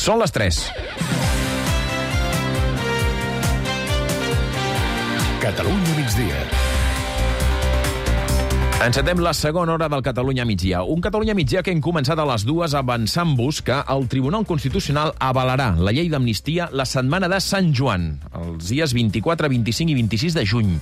Són les 3. Catalunya migdia. Encetem la segona hora del Catalunya migdia. Un Catalunya migdia que hem començat a les 2 avançant-vos que el Tribunal Constitucional avalarà la llei d'amnistia la setmana de Sant Joan, els dies 24, 25 i 26 de juny.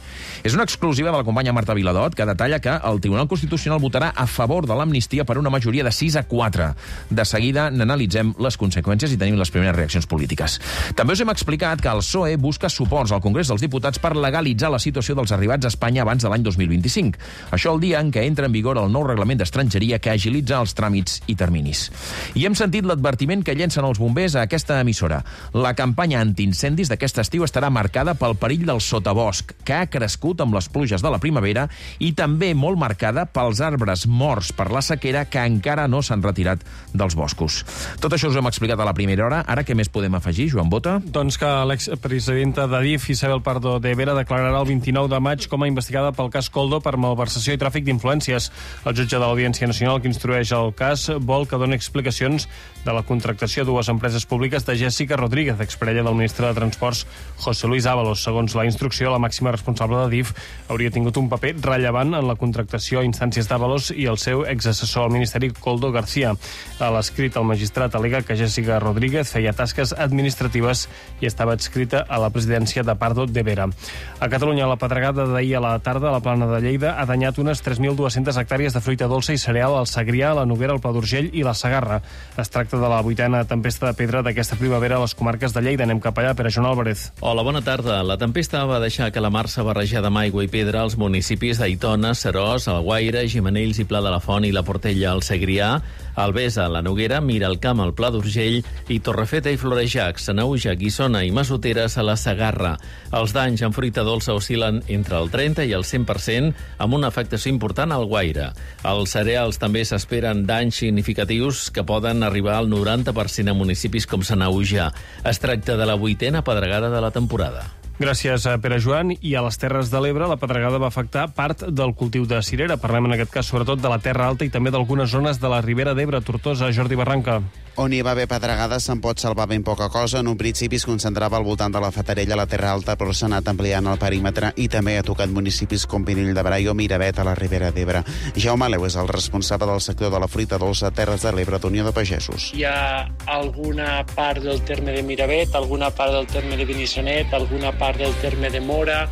És una exclusiva de la companya Marta Viladot que detalla que el Tribunal Constitucional votarà a favor de l'amnistia per una majoria de 6-4. De seguida n'analitzem les conseqüències i tenim les primeres reaccions polítiques. També us hem explicat que el PSOE busca suports al Congrés dels Diputats per legalitzar la situació dels arribats a Espanya abans de l'any 2025. Això el dia en què entra en vigor el nou reglament d'estrangeria que agilitza els tràmits i terminis. I hem sentit l'advertiment que llencen els bombers a aquesta emissora. La campanya antiincendis d'aquest estiu estarà marcada pel perill del sotabosc, que ha crescut amb les pluges de la primavera i també molt marcada pels arbres morts per la sequera que encara no s'han retirat dels boscos. Tot això us ho hem explicat a la primera hora. Ara què més podem afegir, Joan Bota? Doncs que l'expresidenta d'Adif, Isabel Pardo de Vera, declararà el 29 de maig com a investigada pel cas Koldo per malversació i tràfic d'influències. El jutge de l'Audiència Nacional que instrueix el cas vol que doni explicacions de la contractació a dues empreses públiques de Jessica Rodríguez, exparella del ministre de Transports José Luis Ábalos. Segons la instrucció, la màxima responsable d'Adif hauria tingut un paper rellevant en la contractació a instàncies d'Ábalos i el seu exassessor al Ministeri, Koldo García. A l'escrit, el magistrat al·lega que Jessica Rodríguez feia tasques administratives i estava adscrita a la presidència de Pardo de Vera. A Catalunya, la pedregada d'ahir a la tarda a la Plana de Lleida ha danyat unes 3.200 hectàrees de fruita dolça i cereal al Segrià, la Noguera, el Pla d'Urgell i la Segarra. Es tracta de la 8a tempesta de pedra d'aquesta primavera a les comarques de Lleida. Anem cap allà, Pere Joan Álvarez. Hola, bona tarda. La tempesta va deixar que la mar s'ha barrejat amb aigua i pedra als municipis d'Aitona, Seròs, Alguaire, Gimenells i Pla de la Font i la Portella al Segrià, Albesa, la Noguera, Miralcamp, el Pla d'Urgell i Torrefeta i Florejac, Sanaüja, Guissona i Massoteres a la Segarra. Els danys en fruita dolça oscil·len entre el 30 i el 100%, amb una afectació important al Guaire. Als cereals també s'esperen danys significatius que poden arribar al 90% a municipis com Sanaüja. Es tracta de la 8a pedregada de la temporada. Gràcies, Pere Joan. I a les Terres de l'Ebre la pedregada va afectar part del cultiu de cirera. Parlem en aquest cas sobretot de la Terra Alta i també d'algunes zones de la Ribera d'Ebre, Tortosa, Jordi Barranca. On hi va haver pedregades se'n pot salvar ben poca cosa. En un principi es concentrava al voltant de la Fatarella, a la Terra Alta, però s'ha anat ampliant el perímetre i també ha tocat municipis com Pinell de Brai o Miravet a la Ribera d'Ebre. Jaume Aleu és el responsable del sector de la fruita dolça a Terres de l'Ebre d'Unió de Pagesos. Hi ha alguna part del terme de Miravet, alguna part del terme de Benissanet, alguna part del terme de Mora,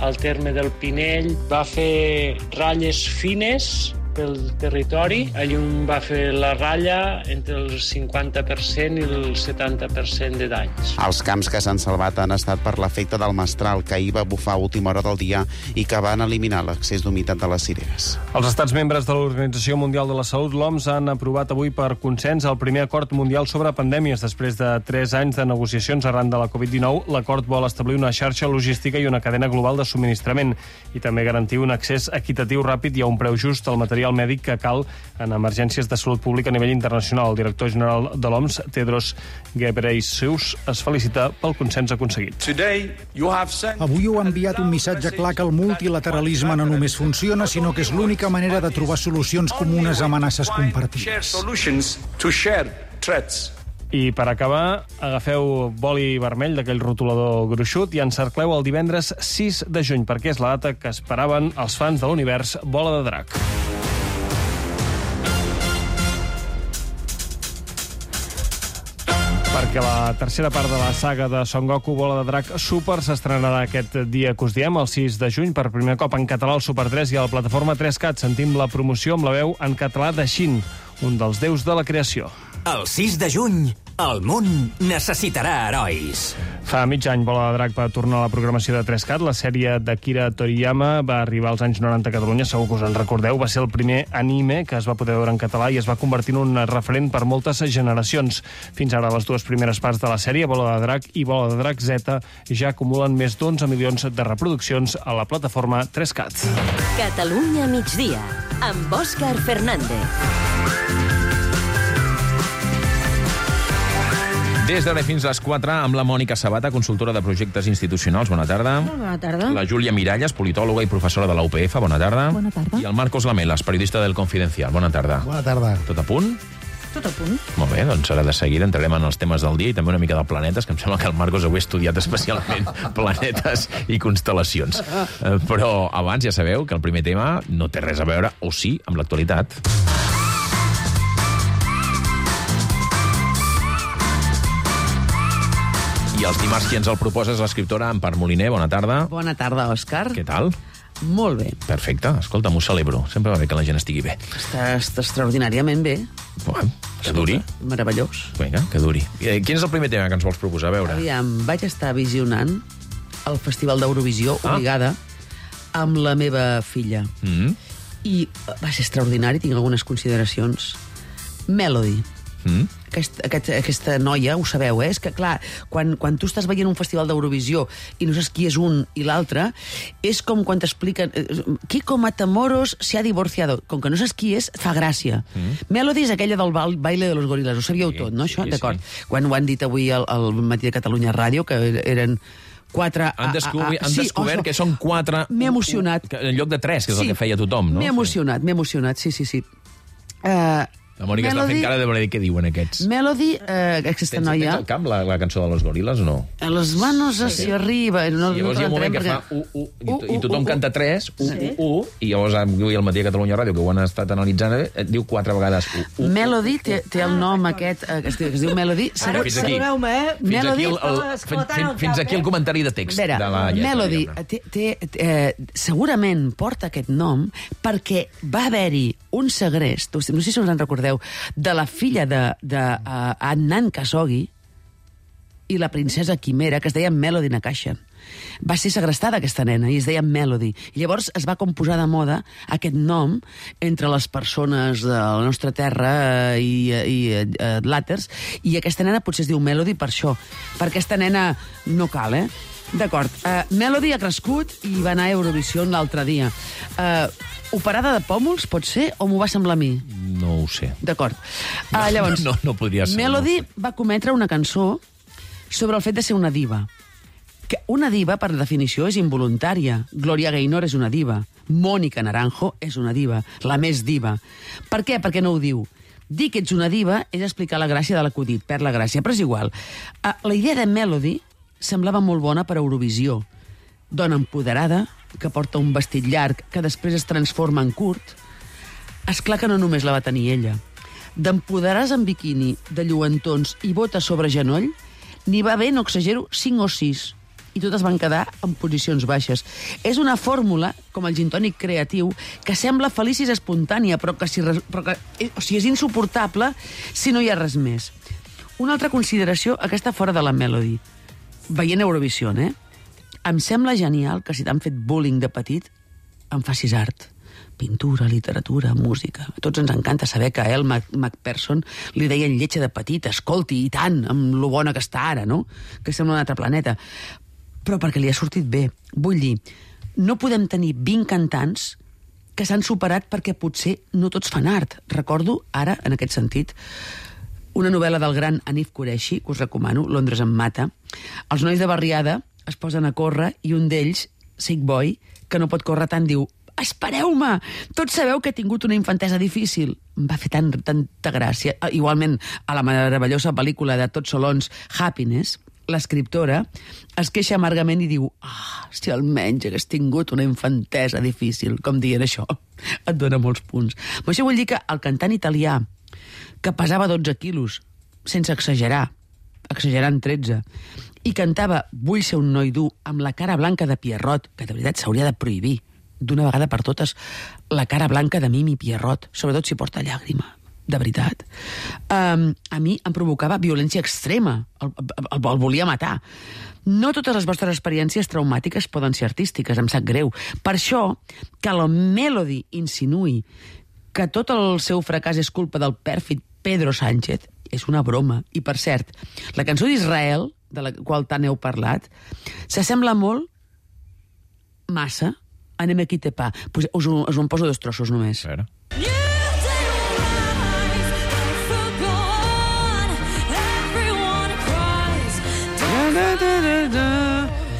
el terme del Pinell. Va fer ratlles fines pel territori. Allí va fer la ratlla entre el 50% i el 70% de danys. Els camps que s'han salvat han estat per l'efecte del mestral, que ahir va bufar a última hora del dia i que van eliminar l'accés d'humitat de les cireres. Els estats membres de l'Organització Mundial de la Salut, l'OMS, han aprovat avui per consens el primer acord mundial sobre pandèmies. Després de 3 anys de negociacions arran de la Covid-19, l'acord vol establir una xarxa logística i una cadena global de subministrament i també garantir un accés equitatiu ràpid i a un preu just al material mèdic que cal en emergències de salut pública a nivell internacional. El director general de l'OMS, Tedros Ghebreyesus, es felicita pel consens aconseguit. Avui heu enviat un missatge clar que el multilateralisme no només funciona, sinó que és l'única manera de trobar solucions comunes a amenaces compartides. I per acabar, agafeu boli vermell d'aquell rotulador gruixut i encercleu el divendres 6 de juny, perquè és la data que esperaven els fans de l'univers Bola de Drac. Perquè la tercera part de la saga de Son Goku Bola de Drac Super s'estrenarà aquest dia que us diem, el 6 de juny, per primer cop en català al Super 3 i a la plataforma 3Cat. Sentim la promoció amb la veu en català de Shin, un dels déus de la creació. El 6 de juny, el món necessitarà herois. Fa mig any, Bola de Drac va tornar a la programació de 3Cat. La sèrie d'Akira Toriyama va arribar als anys 90 a Catalunya, segur que us en recordeu. Va ser el primer anime que es va poder veure en català i es va convertir en un referent per moltes generacions. Fins ara, les dues primeres parts de la sèrie, Bola de Drac i Bola de Drac Z, ja acumulen més d'11 milions de reproduccions a la plataforma 3Cat. Catalunya migdia, amb Òscar Fernández. Des d'ara fins a les 4 amb la Mònica Sabata, consultora de projectes institucionals. Bona tarda. Bona tarda. La Júlia Miralles, politòloga i professora de la UPF. Bona tarda. Bona tarda. I el Marcos Lamelas, periodista del Confidencial. Bona tarda. Bona tarda. Tot a punt? Tot a punt. Molt bé, doncs ara de seguida entrarem en els temes del dia i també una mica de planetes, que em sembla que el Marcos avui ha estudiat especialment planetes i constel·lacions. Però abans ja sabeu que el primer tema no té res a veure, o sí, amb l'actualitat. I els dimarts qui ens el proposa és l'escriptora Empar Moliner. Bona tarda. Bona tarda, Òscar. Què tal? Molt bé. Perfecte. Escolta, m'ho celebro. Sempre va bé que la gent estigui bé. Està extraordinàriament bé. Bueno, que duri. Meravellós. Vinga, que duri. Quin és el primer tema que ens vols proposar? A veure. Aviam, vaig estar visionant el Festival d'Eurovisió, obligada, amb la meva filla. I va ser extraordinari, tinc algunes consideracions. Melody. Aquesta noia, ho sabeu, és que, clar, quan tu estàs veient un festival d'Eurovisió i no saps qui és un i l'altre, és com quan t'expliquen Kiko Matamoros se ha divorciado. Com que no saps qui és, fa gràcia. Melody és aquella del baile de los gorilas, ho sabíeu tot, no, això? D'acord. Quan ho han dit avui al Matí de Catalunya Ràdio, que eren 4... Han descobert que són 4... M'he emocionat. En lloc de 3, que és el que feia tothom, no? M'he emocionat, sí. La Mònica està fent cara de voler dir què diuen aquests. Melody, aquesta noia... Tens al camp la cançó de los gorilas o no? En les manos hacia arriba. I llavors hi ha un moment que fa i tothom canta 3, i llavors avui al Matí de Catalunya Ràdio, que ho han estat analitzant, diu 4 vegades Melody té el nom aquest, que es diu Melody. Saludeu-me, Fins aquí el comentari de text de la lletra. Melody segurament porta aquest nom perquè va haver-hi un segrest, no sé si us en recordeu, de la filla d'Adnan Khashoggi i la princesa Quimera, que es deia Melody Nakashian. Va ser segrestada aquesta nena i es deia Melody. I llavors es va com posar de moda aquest nom entre les persones de la nostra terra i làters, i aquesta nena potser es diu Melody per això. Per aquesta nena no cal, D'acord. Melody ha crescut i va anar a Eurovisió l'altre dia. Operada de pòmuls, pot ser, o m'ho va semblar a mi? No ho sé. D'acord. Llavors, no podria ser. Melody va cometre una cançó sobre el fet de ser una diva. Que una diva, per definició, és involuntària. Gloria Gaynor és una diva. Mónica Naranjo és una diva. La més diva. Per què? Perquè no ho diu. Dir que ets una diva és explicar la gràcia de l'acudit, perd la gràcia, però és igual. La idea de Melody semblava molt bona per a Eurovisió. Dona empoderada, que porta un vestit llarg, que després es transforma en curt. Esclar que no només la va tenir ella. D'empoderar-se en biquini, de lluentons i botes sobre genoll, n'hi va haver, no exagero, 5 o 6. I totes van quedar en posicions baixes. És una fórmula, com el gintònic creatiu, que sembla feliç i espontània, però que és insuportable si no hi ha res més. Una altra consideració, aquesta fora de la Melody. Veient Eurovisió, em sembla genial que si t'han fet bullying de petit, em facis art. Pintura, literatura, música. A tots ens encanta saber que a Elle Macpherson li deien lletja de petit, escolti, i tant, amb lo bona que està ara, no? Que sembla un altre planeta. Però perquè li ha sortit bé. Vull dir, no podem tenir 20 cantants que s'han superat perquè potser no tots fan art. Recordo, ara, en aquest sentit, una novel·la del gran Hanif Kureishi, que us recomano, Londres em mata. Els nois de barriada es posen a córrer i un d'ells, Sick Boy, que no pot córrer tant, diu: espereu-me! Tots sabeu que he tingut una infantesa difícil. Em va fer tanta gràcia. Igualment, a la meravellosa pel·lícula de Tots Solons, Happiness, l'escriptora es queixa amargament i diu: si almenys hagués tingut una infantesa difícil, com dient això, et dona molts punts. Però això vull dir que el cantant italià, que pesava 12 quilos, sense exagerar, exagerant 13, i cantava Vull ser un noi dur amb la cara blanca de Pierrot, que de veritat s'hauria de prohibir d'una vegada per totes la cara blanca de Mimi Pierrot, sobretot si porta llàgrima, de veritat. A mi em provocava violència extrema, el volia matar. No totes les vostres experiències traumàtiques poden ser artístiques, em sap greu. Per això, que la Melody insinuï que tot el seu fracàs és culpa del pèrfid Pedro Sánchez és una broma. I, per cert, la cançó d'Israel, de la qual tant heu parlat, s'assembla molt, massa, a Ne me quitte pas. Pues us en poso 2 trossos només. A veure.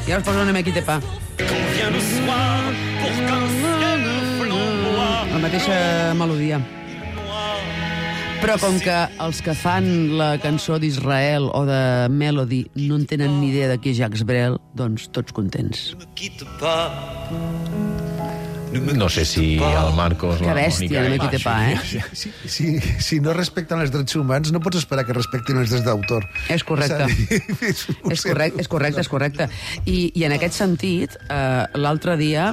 I ara us poso Ne me quitte pas. La mateixa melodia. Però com que els que fan la cançó d'Israel o de Melody no en tenen ni idea de qui és Jacques Brel, doncs tots contents. No sé si el Marcos... Que bèstia, no me quite pa, eh? Si no respecten els drets humans, no pots esperar que respectin els drets d'autor. És correcte. És correcte. I en aquest sentit, l'altre dia,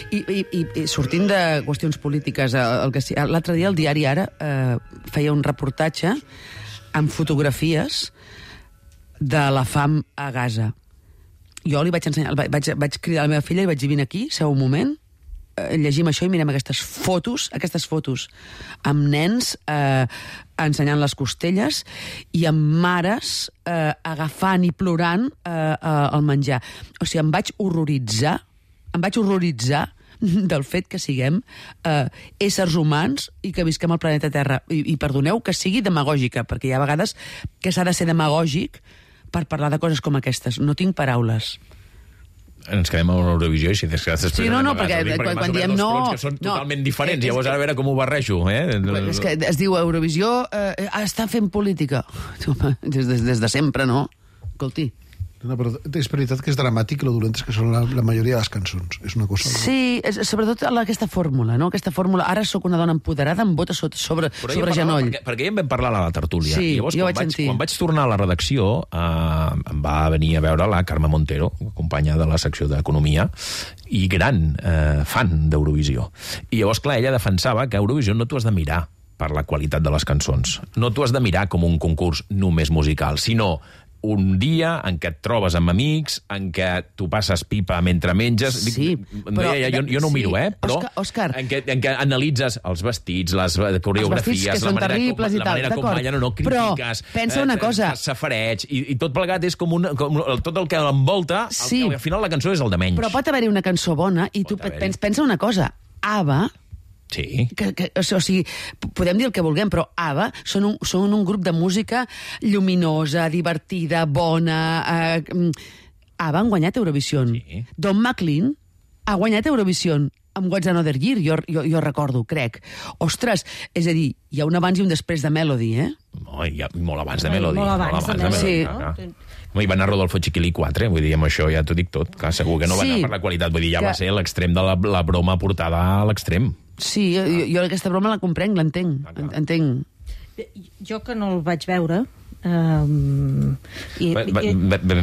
i sortint de qüestions polítiques, l'altre dia el diari Ara feia un reportatge amb fotografies de la fam a Gaza. Jo li vaig ensenyar, vaig cridar a la meva filla i vaig dir, vine aquí, seu un moment, llegim això i mirem aquestes fotos amb nens ensenyant les costelles i amb mares agafant i plorant el menjar. O sigui, em vaig horroritzar del fet que siguem éssers humans i que visquem al planeta Terra. I perdoneu que sigui demagògica, perquè hi ha vegades que s'ha de ser demagògic per parlar de coses com aquestes. No tinc paraules. Ens quedem a Eurovisió i si després... Sí, no, perquè quan diem no... Que són totalment diferents, llavors ara a veure com ho barrejo, És que es diu Eurovisió està fent política. Des de sempre, no? Escolti. No, però és veritat que és dramàtic lo dolentes que són la majoria de les cançons. És una cosa... Sí, sobretot aquesta fórmula, no? Aquesta fórmula, ara sóc una dona empoderada amb botes sobre genoll. Perquè ja en vam parlar a la tertúlia. Sí, llavors, jo vaig sentir. Quan vaig tornar a la redacció, em va venir a veure la Carme Montero, companya de la secció d'Economia, i gran fan d'Eurovisió. I llavors, clar, ella defensava que Eurovisió no t'ho has de mirar per la qualitat de les cançons. No t'ho has de mirar com un concurs només musical, sinó un dia en què et trobes amb amics, en què tu passes pipa mentre menges... Sí, però... Jo no ho miro, però Òscar, en què analitzes els vestits, les coreografies, que són terribles i tal, la manera com ballen o no, critiques... Però pensa una cosa... Safareig, i tot plegat és com tot el que l'envolta, al final la cançó és el de menys. Però pot haver-hi una cançó bona i tu pensa una cosa. ABBA... Sí. O sigui, podem dir el que vulguem, però ABBA són un grup de música lluminosa, divertida, bona... ABBA han guanyat Eurovision. Sí. Don McLean ha guanyat Eurovision amb What's Another Year, jo recordo, crec. Ostres, és a dir, hi ha un abans i un després de Melody, eh? No, hi ha molt abans de Melody. Molt abans de Melody. Sí. Hi va anar Rodolfo Chiquilí 4, vull dir, amb això ja t'ho dic tot. Clar, segur que no va anar per la qualitat, vull dir, ja va ser l'extrem de la broma portada a l'extrem. Sí, jo aquesta broma la comprenc, l'entenc. Jo que no el vaig veure... Vam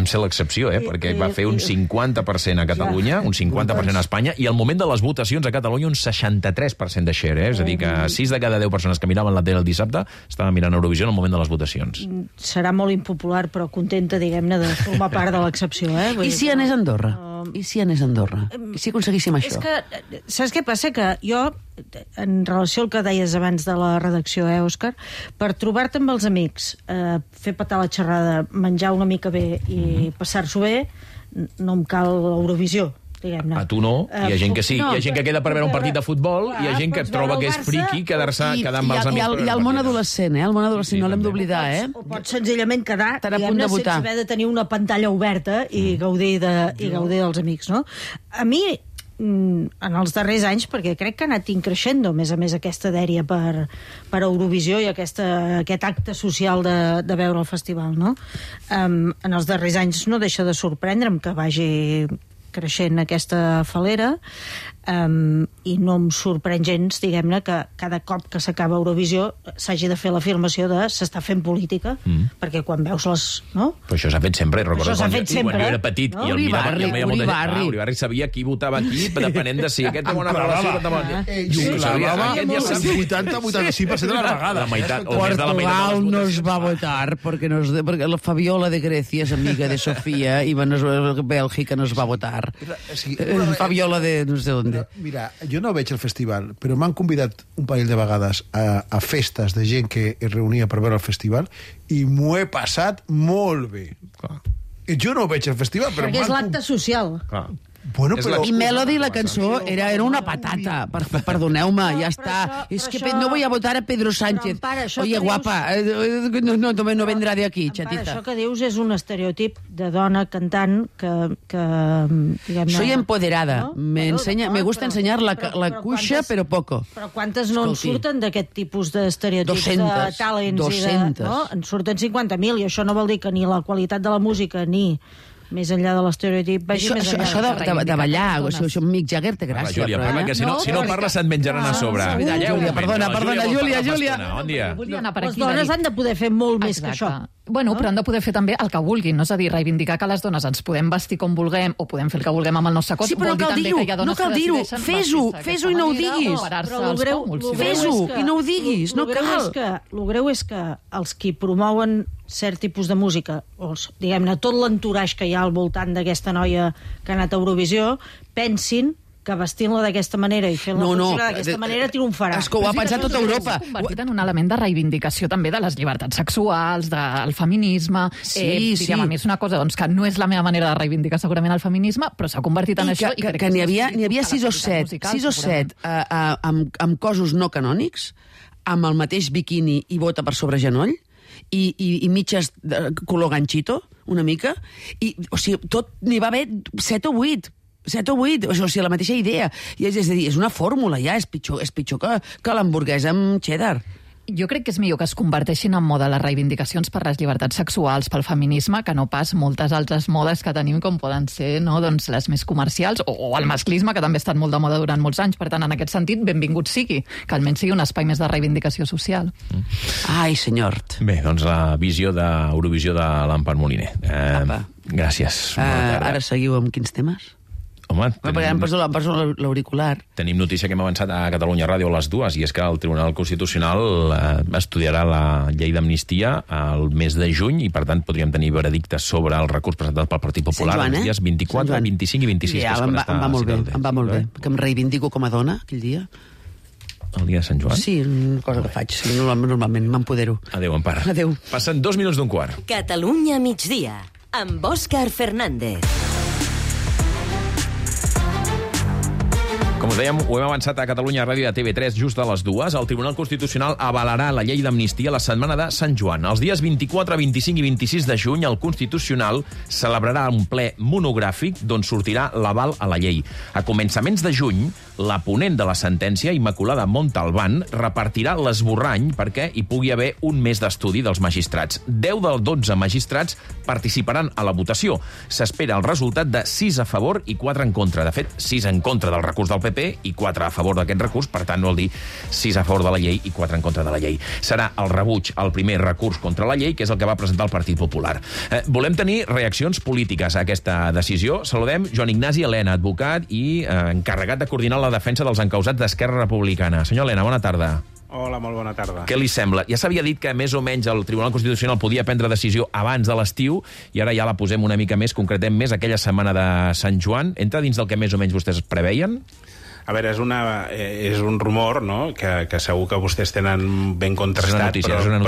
ser l'excepció, perquè va fer un 50% a Catalunya, un 50% a Espanya, i al moment de les votacions a Catalunya un 63% de share, és a dir, que 6 de cada 10 persones que miraven la tele el dissabte estaven mirant Eurovisió en el moment de les votacions. Serà molt impopular, però contenta, diguem-ne, de formar part de l'excepció, I si anés a Andorra? I si anés a Andorra? I si aconseguíssim això? És que, saps què passa? Que jo, en relació al que deies abans de la redacció, Òscar, per trobar-te amb els amics, fer petar la xerrada, menjar una mica bé i passar-s'ho bé, no em cal l'Eurovisió, diguem-ne. A tu no, hi ha gent que sí. Hi ha gent que queda per veure un partit de futbol, hi ha gent que troba que és friqui quedar amb els amics. I el món adolescent, el món adolescent no l'hem d'oblidar, O pots senzillament quedar, diguem-ne, sense haver de tenir una pantalla oberta i gaudir dels amics, no? A mi, en els darrers anys, perquè crec que ha anat increixent, a més aquesta dèria per Eurovisió i aquest acte social de veure el festival, no? En els darrers anys no deixa de sorprendre'm que vagi creixent aquesta falera, i no em sorprèn gens, diguem-ne, que cada cop que s'acaba Eurovisió s'hagi de fer l'afirmació de s'està fent política, perquè quan veus les... No? Però això s'ha fet sempre, recordo quan jo era petit i el mirava, Uribarri sabia qui votava aquí, depenent de si aquest té bona relació... I ho clavava el 80-85% de la vegada. La meitat, Portugal no es va votar porque la Fabiola de Grecia es amiga de Sofía y Bélgica no es va votar. Fabiola de no sé dónde. Mira, jo no veig el festival, però m'han convidat un parell de vegades a festes de gent que es reunia per veure el festival i m'ho he passat molt bé. Jo no veig el festival, però... Perquè és l'acte social. Bueno, però... I Melody, la cançó, era una patata. Perdoneu-me, ja està. És que no voy a votar a Pedro Sánchez. Oye, guapa, no vendrà de aquí, xatita. Això que dius és un estereotip de dona cantant que Soy empoderada. Me gusta ensenyar la cuixa, però poco. Però quantes no en surten d'aquest tipus d'estereotips de talents? 200. En surten 50.000, i això no vol dir que ni la qualitat de la música ni més enllà de l'estereotip vagi més enllà. Això de ballar, això Mick Jagger té gràcia. Júlia, parla, que si no parla se't menjaran a sobre. Júlia, perdona, Júlia. Bon dia. Les dones han de poder fer molt més que això. Bueno, però han de poder fer també el que vulguin, no? És a dir, reivindicar que les dones ens podem vestir com vulguem o podem fer el que vulguem amb el nostre cos. Sí, però no cal dir-ho. Fes-ho i no ho diguis. Fes-ho i no ho diguis, no cal. El greu és que els qui promouen cert tipus de música, o diguem-ne, tot l'entourage que hi ha al voltant d'aquesta noia que ha anat a Eurovisió, pensin que vestint-la d'aquesta manera i fent-la funcionar d'aquesta manera triomfarà. És que ho ha pensat tota Europa. Convertit en un element de reivindicació també de les llibertats sexuals, del feminisme. Diguem, a mi és una cosa que no és la meva manera de reivindicar segurament el feminisme, però s'ha convertit en això. Que n'hi havia 6 o 7 amb cossos no canònics, amb el mateix biquini i bota per sobre genoll, i mitges color ganxito, una mica, o sigui, tot n'hi va haver 7 o 8, o sigui, la mateixa idea. És a dir, és una fórmula ja, és pitjor que l'hamburguesa amb cheddar. Jo crec que és millor que es converteixin en moda les reivindicacions per les llibertats sexuals, pel feminisme, que no pas moltes altres modes que tenim, com poden ser les més comercials, o el masclisme, que també ha estat molt de moda durant molts anys. Per tant, en aquest sentit, benvingut sigui, que almenys sigui un espai més de reivindicació social. Ai, senyor. Bé, doncs la visió d'Eurovisió de l'Empar Moliner. Gràcies. Ara seguiu amb quins temes? Home, em poso l'auricular. Tenim notícia que hem avançat a Catalunya Ràdio a les 2, i és que el Tribunal Constitucional estudiarà la llei d'amnistia al mes de juny, i per tant podríem tenir veredictes sobre el recurs presentat pel Partit Popular els dies 24, 25 i 26. Ja, em va molt bé, que em reivindico com a dona aquell dia. El dia de Sant Joan? Sí, una cosa que faig. Normalment m'empodero. Adéu, Empar. Adéu. Passen 2 minuts d'un quart. Catalunya migdia, amb Òscar Fernández. Com us dèiem, ho hem avançat a Catalunya Ràdio i a TV3 just a les 2. El Tribunal Constitucional avalarà la llei d'amnistia la setmana de Sant Joan. Els dies 24, 25 i 26 de juny, el Constitucional celebrarà un ple monogràfic d'on sortirà l'aval a la llei. A començaments de juny, la ponent de la sentència, Immaculada Montalbán, repartirà l'esborrany perquè hi pugui haver un mes d'estudi dels magistrats. 10 dels 12 magistrats participaran a la votació. S'espera el resultat de 6 a favor i 4 en contra. De fet, 6 en contra del recurs del PP i 4 a favor d'aquest recurs, per tant, vol dir 6 a favor de la llei i 4 en contra de la llei. Serà el rebuig al primer recurs contra la llei, que és el que va presentar el Partit Popular. Volem tenir reaccions polítiques a aquesta decisió. Saludem Joan Ignasi Elena, advocat i encarregat de coordinar la defensa dels encausats d'Esquerra Republicana. Senyor Elena, bona tarda. Hola, molt bona tarda. Què li sembla? Ja s'havia dit que més o menys el Tribunal Constitucional podia prendre decisió abans de l'estiu, i ara ja la posem una mica més, concretem més aquella setmana de Sant Joan. Entra dins del que més o menys vostès preveien? A veure, és un rumor, no?, que segur que vostès tenen ben contrastat, però és una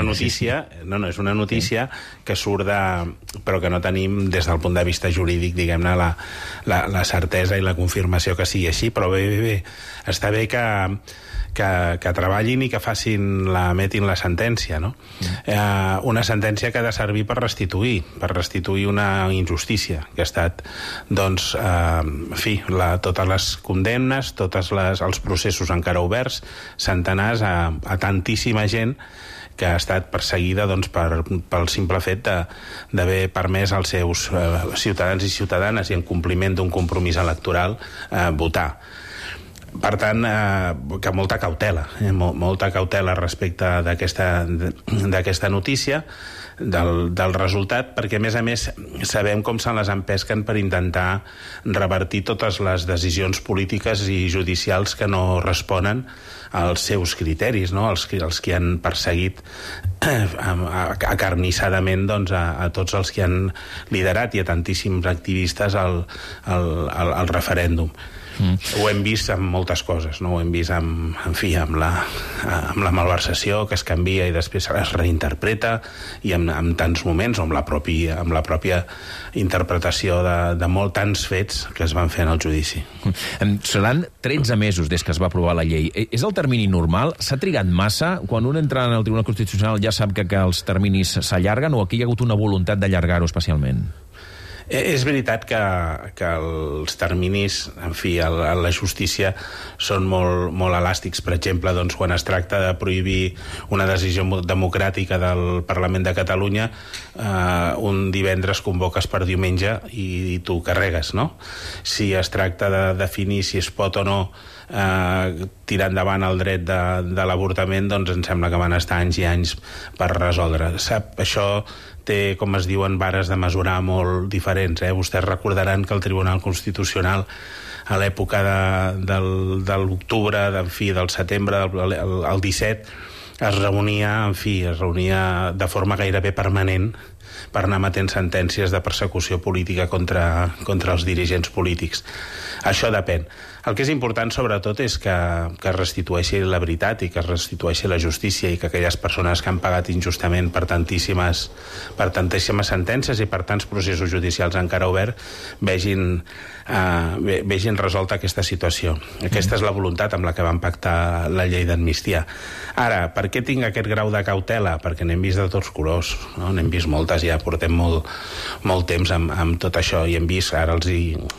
notícia, és una notícia que surt però que no tenim des del punt de vista jurídic, diguem-ne, la certesa i la confirmació que sigui així, però bé, està bé que treballin i que emetin la sentència, no? Una sentència que ha de servir per restituir una injustícia que ha estat, doncs, en fi, totes les condemnes, tots els processos encara oberts, centenars a tantíssima gent que ha estat perseguida, doncs, pel simple fet d'haver permès als seus ciutadans i ciutadanes, i en compliment d'un compromís electoral, votar. Per tant, que molta cautela respecte d'aquesta notícia, del resultat, perquè, a més, sabem com se les empesquen per intentar revertir totes les decisions polítiques i judicials que no responen als seus criteris, no?, els que han perseguit acarnissadament, doncs, a tots els que han liderat i a tantíssims activistes al referèndum. Ho hem vist amb moltes coses, no? Ho hem vist amb la malversació, que es canvia i després es reinterpreta, i en tants moments, o amb la pròpia interpretació de molts tants fets que es van fer en el judici. Seran 13 mesos des que es va aprovar la llei. És el termini normal? S'ha trigat massa? Quan un entra en el Tribunal Constitucional ja sap que els terminis s'allarguen, o aquí hi ha hagut una voluntat d'allargar-ho especialment? És veritat que els terminis, en fi, a la justícia són molt elàstics. Per exemple, doncs, quan es tracta de prohibir una decisió democràtica del Parlament de Catalunya, un divendres convoques per diumenge i tu carregues, no? Si es tracta de definir si es pot o no tirar endavant el dret de l'avortament, doncs em sembla que van estar anys i anys per resoldre. Això té, com es diuen, vares de mesurar molt diferents. Vostès recordaran que el Tribunal Constitucional, a l'època de l'octubre, del setembre, el 17, es reunia de forma gairebé permanent per anar emetent sentències de persecució política contra els dirigents polítics. Això depèn. El que és important, sobretot, és que es restitueixi la veritat i que es restitueixi la justícia, i que aquelles persones que han pagat injustament per tantíssimes sentències i per tants processos judicials encara oberts vegin resolta aquesta situació. Aquesta és la voluntat amb la que van pactar la llei d'amnistia. Ara, per què tinc aquest grau de cautela? Perquè n'hem vist de tots colors, no? N'hem vist moltes, ja portem molt temps amb tot això, i hem vist, ara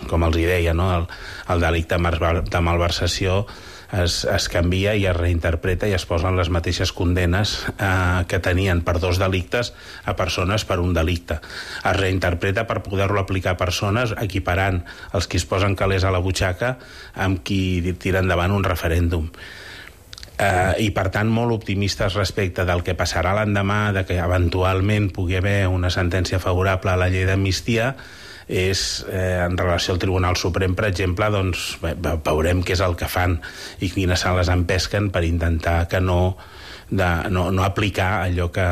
com els deia, no? El delicte de malversació es canvia i es reinterpreta, i es posen les mateixes condenes que tenien per 2 delictes a persones per un delicte. Es reinterpreta per poder-lo aplicar a persones, equiparant els qui es posen calés a la butxaca amb qui tira endavant un referèndum. I per tant molt optimistes respecte del que passarà l'endemà, de que eventualment pugui haver una sentència favorable a la llei d'amnistia. En relació al Tribunal Suprem, per exemple, doncs veurem què és el que fan i quines sales empesquen per intentar que no aplicar allò que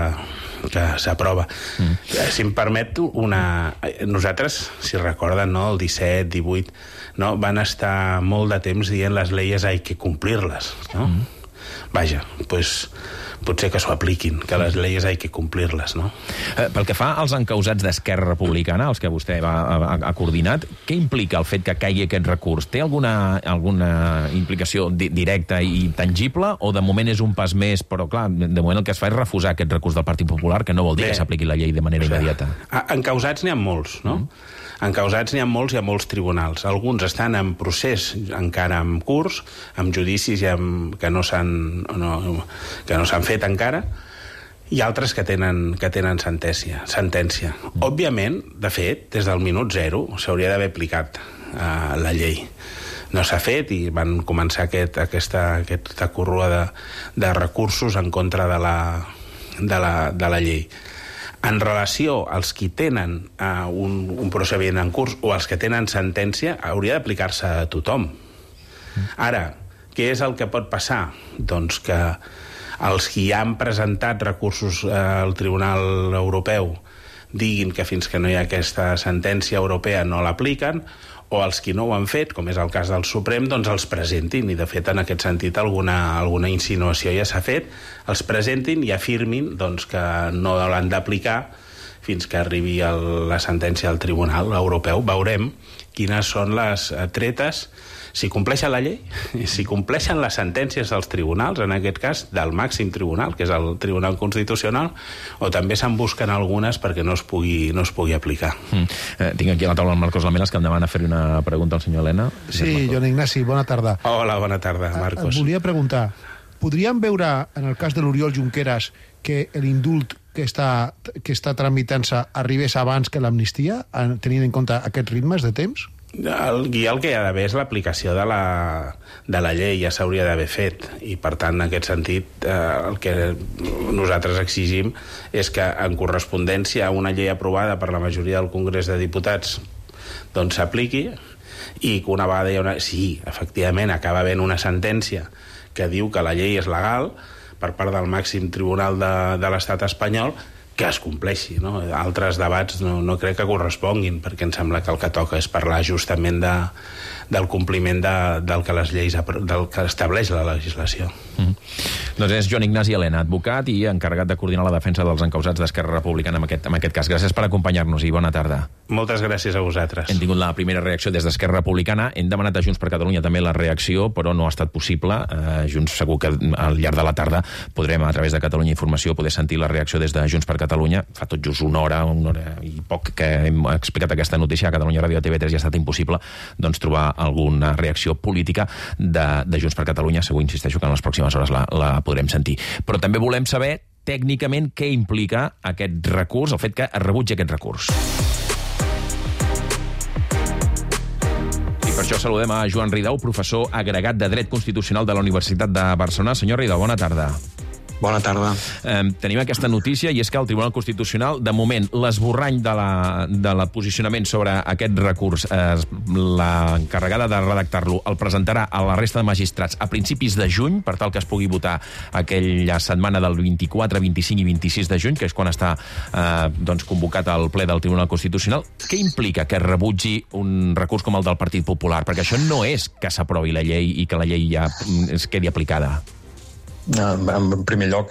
s'aprova. Si em permet, nosaltres, si recorden, no, el 17, 18, no, van estar molt de temps dient les leyes hay que cumplirlas, no? Vaja, doncs potser que s'ho apliquin, que les lleis hay que complirles, no? Pel que fa als encausats d'Esquerra Republicana, els que vostè ha coordinat, què implica el fet que caigui aquest recurs? Té alguna implicació directa i tangible, o de moment és un pas més, però clar, de moment el que es fa és refusar aquest recurs del Partit Popular, que no vol dir que s'apliqui la llei de manera immediata? Encausats n'hi ha molts, no? Encausats n'hi ha molts i a molts tribunals. Alguns estan en procés encara en curs, amb judicis que no s'han fet encara, i altres que tenen sentència. Òbviament, de fet, des del minut zero s'hauria d'haver aplicat la llei. No s'ha fet, i van començar aquesta corrua de recursos en contra de la llei. En relació als qui tenen un procediment en curs o als que tenen sentència, hauria d'aplicar-se a tothom. Ara, què és el que pot passar? Doncs que els qui han presentat recursos al Tribunal Europeu diguin que fins que no hi ha aquesta sentència europea no l'apliquen, o els qui no ho han fet, com és el cas del Suprem, doncs els presentin, i de fet en aquest sentit alguna insinuació ja s'ha fet, els presentin i afirmin doncs, que no l'han d'aplicar fins que arribi la sentència del Tribunal Europeu. Veurem quines són les tretes, si compleixen la llei, si compleixen les sentències dels tribunals, en aquest cas del màxim tribunal, que és el Tribunal Constitucional, o també se'n busquen algunes perquè no es pugui aplicar. Tinc aquí a la taula el Marcos Lamelas, que em demana fer una pregunta al senyor Elena. Sí, Joan Ignasi, bona tarda. Hola, bona tarda, Marcos. Et volia preguntar, podríem veure, en el cas de l'Oriol Junqueras, que l'indult que està tramitant-se arribés abans que l'amnistia, tenint en compte aquests ritmes de temps? El que hi ha d'haver és l'aplicació de la llei, ja s'hauria d'haver fet, i per tant en aquest sentit el que nosaltres exigim és que en correspondència a una llei aprovada per la majoria del Congrés de Diputats doncs s'apliqui, i que una vegada sí, efectivament acaba havent una sentència que diu que la llei és legal per part del màxim tribunal de l'estat espanyol, que es compleixi, no? Altres debats no crec que corresponguin, perquè em sembla que el que toca és parlar justament del compliment del que estableix la legislació. Doncs és Joan Ignasi Elena, advocat i encarregat de coordinar la defensa dels encausats d'Esquerra Republicana en aquest cas. Gràcies per acompanyar-nos i bona tarda. Moltes gràcies a vosaltres. Hem tingut la primera reacció des d'Esquerra Republicana. Hem demanat a Junts per Catalunya també la reacció, però no ha estat possible. Junts segur que al llarg de la tarda podrem, a través de Catalunya Informació, poder sentir la reacció des de Junts per Catalunya. Fa tot just una hora i poc que hem explicat aquesta notícia a Catalunya Ràdio, a TV3, i ha estat impossible trobar alguna reacció política de Junts per Catalunya. Segur, insisteixo, que en les pròximes hores la podrem sentir. Però també volem saber tècnicament què implica aquest recurs, el fet que es rebutgi aquest recurs. I per això saludem a Joan Ridao, professor agregat de Dret Constitucional de la Universitat de Barcelona. Senyor Ridao, bona tarda. Bona tarda. Tenim aquesta notícia, i és que el Tribunal Constitucional, de moment, l'esborrany de la posicionament sobre aquest recurs, l'encarregada de redactar-lo, el presentarà a la resta de magistrats a principis de juny, per tal que es pugui votar aquella setmana del 24, 25 i 26 de juny, que és quan està convocat el ple del Tribunal Constitucional. Què implica que es rebutgi un recurs com el del Partit Popular? Perquè això no és que s'aprovi la llei i que la llei ja es quedi aplicada. En primer lloc,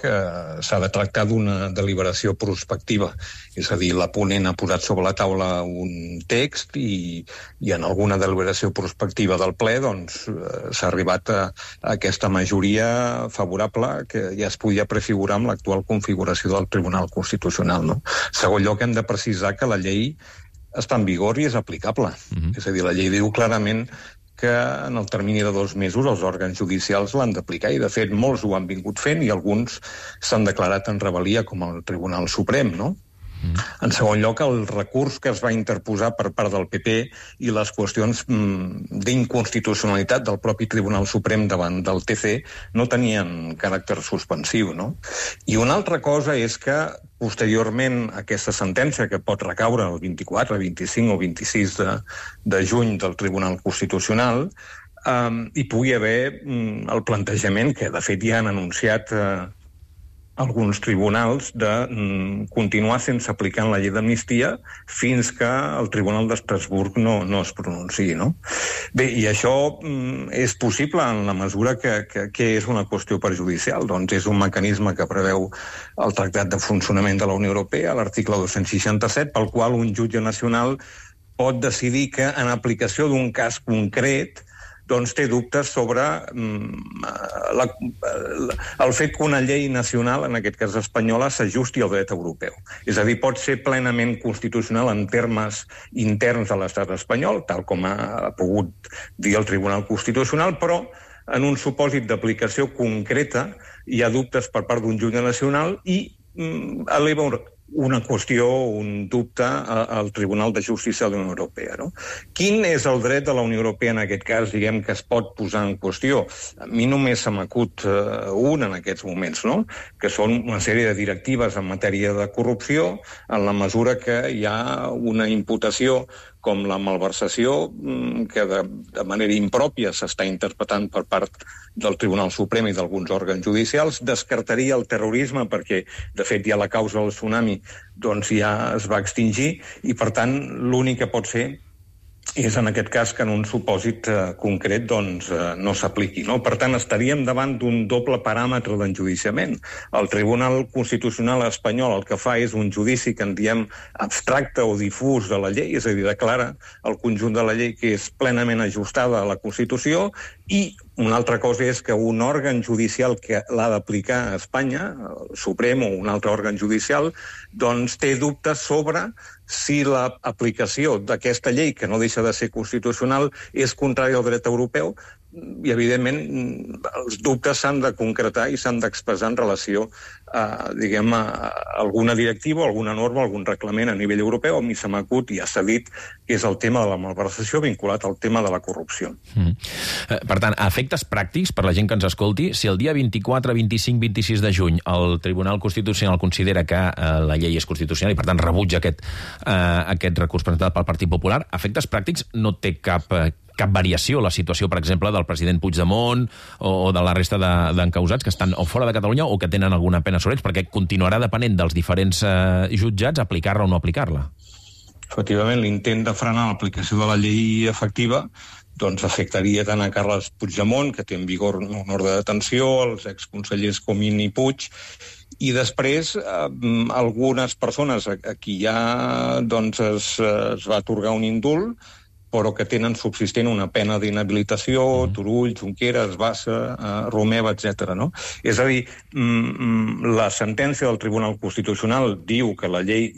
s'ha de tractar d'una deliberació prospectiva. És a dir, la ponent ha posat sobre la taula un text i en alguna deliberació prospectiva del ple s'ha arribat a aquesta majoria favorable que ja es podia prefigurar amb l'actual configuració del Tribunal Constitucional. No? En segon lloc, hem de precisar que la llei està en vigor i és aplicable. És a dir, la llei diu clarament que en el termini de 2 mesos els òrgans judicials l'han d'aplicar, i de fet molts ho han vingut fent i alguns s'han declarat en rebel·lia, com el Tribunal Suprem, no? En segon lloc, el recurs que es va interposar per part del PP i les qüestions d'inconstitucionalitat del propi Tribunal Suprem davant del TC no tenien caràcter suspensiu, no? I una altra cosa és que posteriorment aquesta sentència, que pot recaure el 24, 25 o 26 de juny del Tribunal Constitucional, hi pugui haver el plantejament que de fet ja han anunciat alguns tribunals de continuar sense aplicar la llei d'amnistia fins que el Tribunal d'Estrasburg no es pronunciï, no? Bé, i això és possible en la mesura que és una qüestió perjudicial. Doncs és un mecanisme que preveu el Tractat de Funcionament de la Unió Europea, l'article 267, pel qual un jutge nacional pot decidir que en aplicació d'un cas concret té dubtes sobre el fet que una llei nacional, en aquest cas espanyola, s'ajusti al dret europeu. És a dir, pot ser plenament constitucional en termes interns de l'estat espanyol, tal com ha pogut dir el Tribunal Constitucional, però en un supòsit d'aplicació concreta hi ha dubtes per part d'un jutge nacional i eleva una qüestió, un dubte al Tribunal de Justícia de la Unió Europea. No? Quin és el dret de la Unió Europea en aquest cas, diguem, que es pot posar en qüestió? A mi només se m'acut un en aquests moments, no? Que són una sèrie de directives en matèria de corrupció, en la mesura que hi ha una imputació com la malversació, que de manera impròpia s'està interpretant per part del Tribunal Suprem i d'alguns òrgans judicials, descartaria el terrorisme perquè, de fet, ja la causa del tsunami ja es va extingir i, per tant, l'únic que pot ser és en aquest cas que en un supòsit concret no s'apliqui. No? Per tant, estaríem davant d'un doble paràmetre d'enjudiciament. El Tribunal Constitucional espanyol el que fa és un judici que en diem abstracte o difús de la llei, és a dir, declara el conjunt de la llei que és plenament ajustada a la Constitució, i una altra cosa és que un òrgan judicial que l'ha d'aplicar a Espanya, el Suprem o un altre òrgan judicial, té dubtes sobre si l'aplicació d'aquesta llei, que no deixa de ser constitucional, és contrària al dret europeu, i, evidentment, els dubtes s'han de concretar i s'han d'expressar en relació a alguna directiva, alguna norma, algun reglament a nivell europeu. A mi se m'acut, ja s'ha dit, que és el tema de la malversació vinculat al tema de la corrupció. Per tant, a efectes pràctics, per la gent que ens escolti, si el dia 24, 25, 26 de juny el Tribunal Constitucional considera que la llei és constitucional i, per tant, rebutja aquest recurs presentat pel Partit Popular, a efectes pràctics no té cap cap variació la situació, per exemple, del president Puigdemont o de la resta d'encausats que estan o fora de Catalunya o que tenen alguna pena sobre ells, perquè continuarà depenent dels diferents jutjats aplicar-la o no aplicar-la. Efectivament, l'intent de frenar l'aplicació de la llei efectiva doncs afectaria tant a Carles Puigdemont, que té en vigor una ordre de detenció, als exconsellers Comín i Puig, i després algunes persones a qui ja doncs, es va atorgar un indult, però que tenen subsistent una pena d'inhabilitació, Turull, Junqueras, Bassa, Romeva, etc. No? És a dir, la sentència del Tribunal Constitucional diu que la llei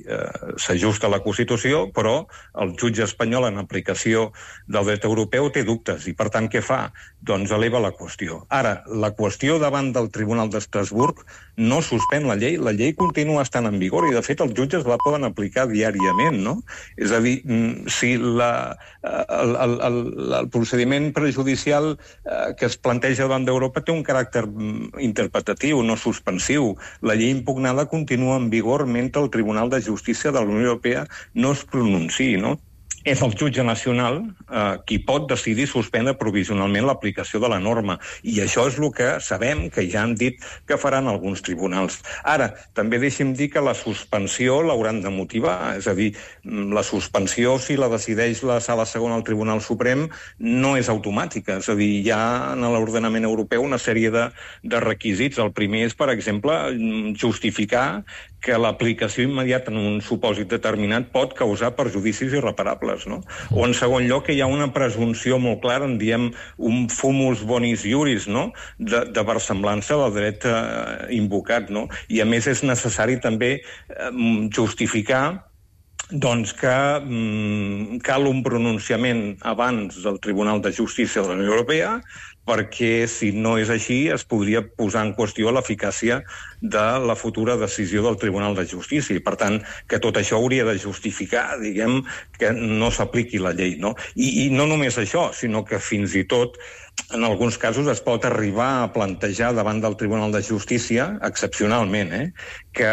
s'ajusta a la Constitució, però el jutge espanyol en aplicació del dret europeu té dubtes, i per tant què fa? Doncs eleva la qüestió. Ara, la qüestió davant del Tribunal d'Estrasburg no suspèn la llei continua estant en vigor, i de fet els jutges la poden aplicar diàriament, no? És a dir, si el procediment prejudicial que es planteja davant d'Europa té un caràcter interpretatiu, no suspensiu. La llei impugnada continua en vigor mentre el Tribunal de Justícia de la Unió Europea no es pronunciï, no? És el jutge nacional qui pot decidir suspendre provisionalment l'aplicació de la norma. I això és el que sabem que ja han dit que faran alguns tribunals. Ara, també deixi'm dir que la suspensió l'hauran de motivar. És a dir, la suspensió, si la decideix la Sala Segona al Tribunal Suprem, no és automàtica. És a dir, hi ha en l'ordenament europeu una sèrie de requisits. El primer és, per exemple, justificar que l'aplicació immediata en un supòsit determinat pot causar perjudicis irreparables, no? O, en segon lloc, que hi ha una presumpció molt clara, en diem un fumus bonis iuris, no?, de versemblança del dret invocat, no? I, a més, és necessari també justificar doncs que cal un pronunciament abans del Tribunal de Justícia de la Unió Europea, perquè si no és així es podria posar en qüestió l'eficàcia de la futura decisió del Tribunal de Justícia. I, per tant, que tot això hauria de justificar, diguem, que no s'apliqui la llei, no? I no només això, sinó que fins i tot en alguns casos es pot arribar a plantejar davant del Tribunal de Justícia, excepcionalment, que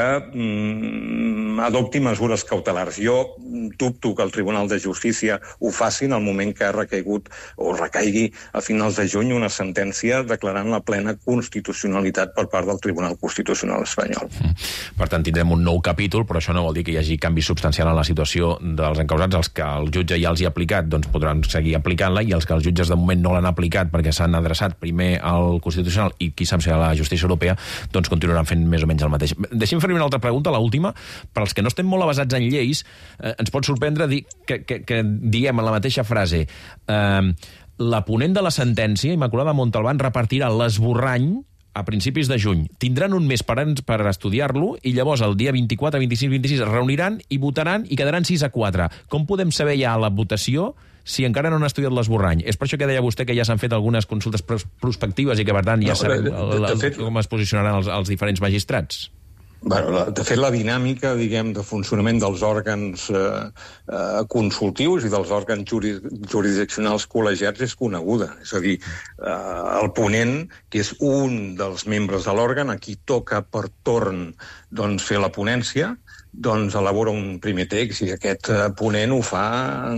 adopti mesures cautelars. Jo dubto que el Tribunal de Justícia ho faci en el moment que ha recaigut o recaigui a finals de juny una sentència declarant la plena constitucionalitat per part del Tribunal Constitucional espanyol. Per tant, tindrem un nou capítol, però això no vol dir que hi hagi canvi substancial en la situació dels encausats. Els que el jutge ja els hi ha aplicat doncs podran seguir aplicant-la, i els que els jutges de moment no l'han aplicat perquè s'han adreçat primer al Constitucional i qui sap si a la justícia europea, doncs continuaran fent més o menys el mateix. Deixem fer una altra pregunta, l'última. Per als que no estem molt avasats en lleis, ens pot sorprendre dir que diguem en la mateixa frase la ponent de la sentència, Immaculada Montalbán, repartirà l'esborrany a principis de juny. Tindran un mes per estudiar-lo i llavors el dia 24, 25, 26 es reuniran i votaran i quedaran 6-4. Com podem saber ja la votació si encara no han estudiat l'esborrany? És per això que deia vostè que ja s'han fet algunes consultes prospectives i que, per tant, ja sabem com es posicionaran els diferents magistrats. Bueno, de fet, la dinàmica, diguem, de funcionament dels òrgans consultius i dels òrgans jurisdiccionals col·legiats és coneguda. És a dir, el ponent, que és un dels membres de l'òrgan, a qui toca per torn doncs, fer la ponència, doncs elabora un primer text, i aquest ponent ho fa,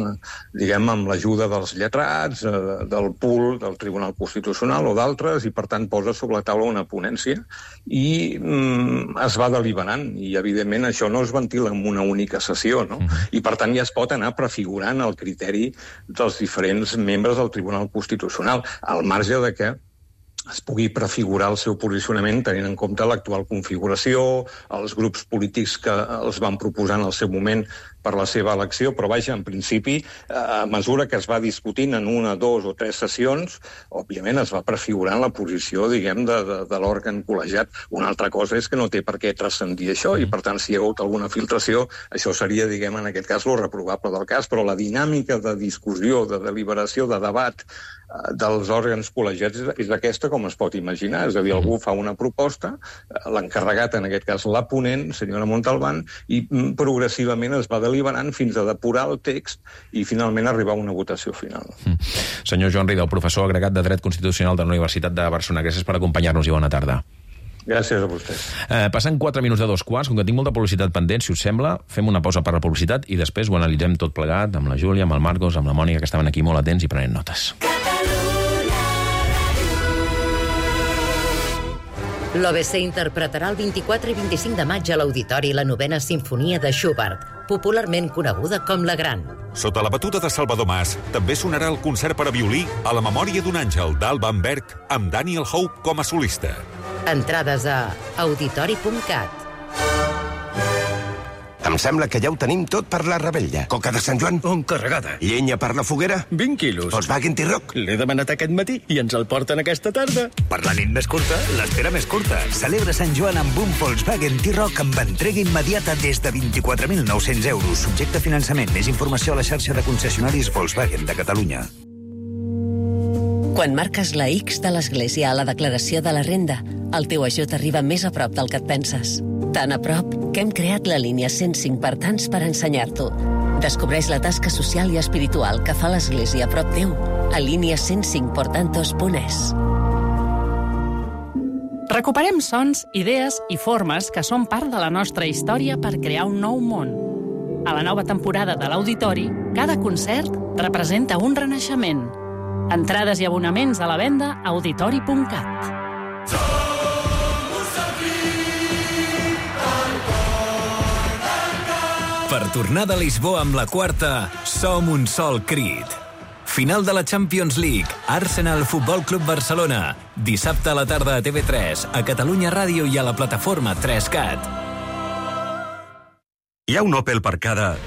diguem, amb l'ajuda dels lletrats, del pool del Tribunal Constitucional o d'altres, i per tant posa sobre la taula una ponència i es va deliberant, i evidentment això no es ventila en una única sessió, no? I per tant ja es pot anar prefigurant el criteri dels diferents membres del Tribunal Constitucional, al marge de que es pugui prefigurar el seu posicionament tenint en compte l'actual configuració, els grups polítics que els van proposar en el seu moment per la seva elecció, però vaja, en principi, a mesura que es va discutint en 1, 2 o 3 sessions, òbviament es va prefigurant la posició, diguem, de l'òrgan col·legiat. Una altra cosa és que no té per què transcendir això, i per tant, si hi ha hagut alguna filtració, això seria, diguem, en aquest cas, lo reprovable del cas, però la dinàmica de discussió, de deliberació, de debat dels òrgans col·legiats és aquesta, com es pot imaginar. És a dir, algú fa una proposta, l'encarregat, en aquest cas la ponent, senyora Montalbán, i progressivament es va deliberant fins a depurar el text i finalment arribar a una votació final. Senyor Joan Ridao, professor agregat de Dret Constitucional de la Universitat de Barcelona, gràcies per acompanyar-nos i bona tarda. Gràcies a vostès. Passen 4 minuts de 2:15, com que tinc molta publicitat pendent, si us sembla, fem una pausa per la publicitat i després ho analitzem tot plegat amb la Júlia, amb el Marcos, amb la Mònica, que estaven aquí molt atents i prenent notes. L'OBC interpretarà el 24 i 25 de maig a l'Auditori la 9ª Simfonia de Schubert, popularment coneguda com la Gran. Sota la batuta de Salvador Mas, també sonarà el concert per a violí A la memòria d'un àngel d'Alban Berg amb Daniel Hope com a solista. Entrades a auditori.cat. Em sembla que ja ho tenim tot per la rebella. Coca de Sant Joan? Encarregada. Llenya per la foguera? 20 quilos. Volkswagen T-Roc? L'he demanat aquest matí i ens el porten aquesta tarda. Per la nit més curta, l'espera més curta. Celebra Sant Joan amb un Volkswagen T-Roc amb entrega immediata des de 24.900 euros. Subjecte a finançament. Més informació a la xarxa de concessionaris Volkswagen de Catalunya. Quan marques la X de l'Església a la declaració de la renda, el teu ajut arriba més a prop del que et penses. Tan a prop que hem creat la línia 105 per tants per ensenyar-t'ho. Descobreix la tasca social i espiritual que fa l'Església a prop teu a línia105portantos.es. Recuperem sons, idees i formes que són part de la nostra història per crear un nou món. A la nova temporada de l'Auditori, cada concert representa un renaixement. Entrades i abonaments a la venda a auditori.cat. Per tornar de Lisboa amb la quarta, som un sol crit. Final de la Champions League, Arsenal Futbol Club Barcelona. Dissabte a la tarda a TV3, a Catalunya Ràdio i a la plataforma 3Cat. Hi ha un Opel per cada...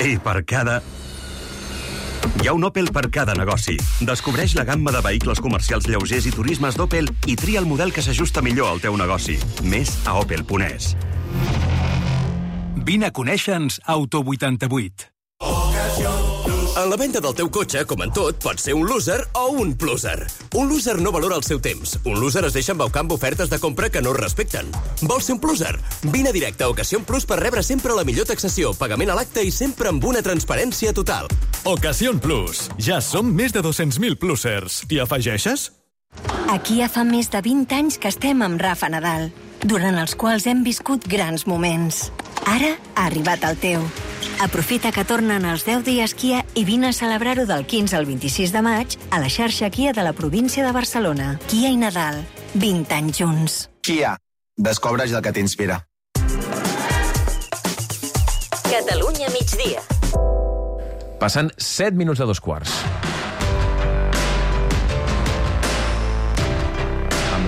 I per cada... Hi ha un Opel per cada negoci. Descobreix la gamma de vehicles comercials lleugers i turismes d'Opel i tria el model que s'ajusta millor al teu negoci. Més a opel.es. Vine a conèixer-nos Auto 88. En la venda del teu cotxe, com en tot, pots ser un loser o un pluser. Un loser no valora el seu temps. Un loser es deixa embaucar amb ofertes de compra que no es respecten. Vols ser un pluser? Vine directe a Ocasión Plus per rebre sempre la millor taxació, pagament a l'acte i sempre amb una transparència total. Ocasión Plus. Ja som més de 200.000 plusers. T'hi afegeixes? Aquí ja fa més de 20 anys que estem amb Rafa Nadal, durant els quals hem viscut grans moments. Ara ha arribat el teu. Aprofita que tornen els 10 dies Kia i vine a celebrar-ho del 15 al 26 de maig a la xarxa Kia de la província de Barcelona. Kia i Nadal, 20 anys junts. Kia, descobreix el que t'inspira. Catalunya migdia. Passen 7 minuts de 2:15.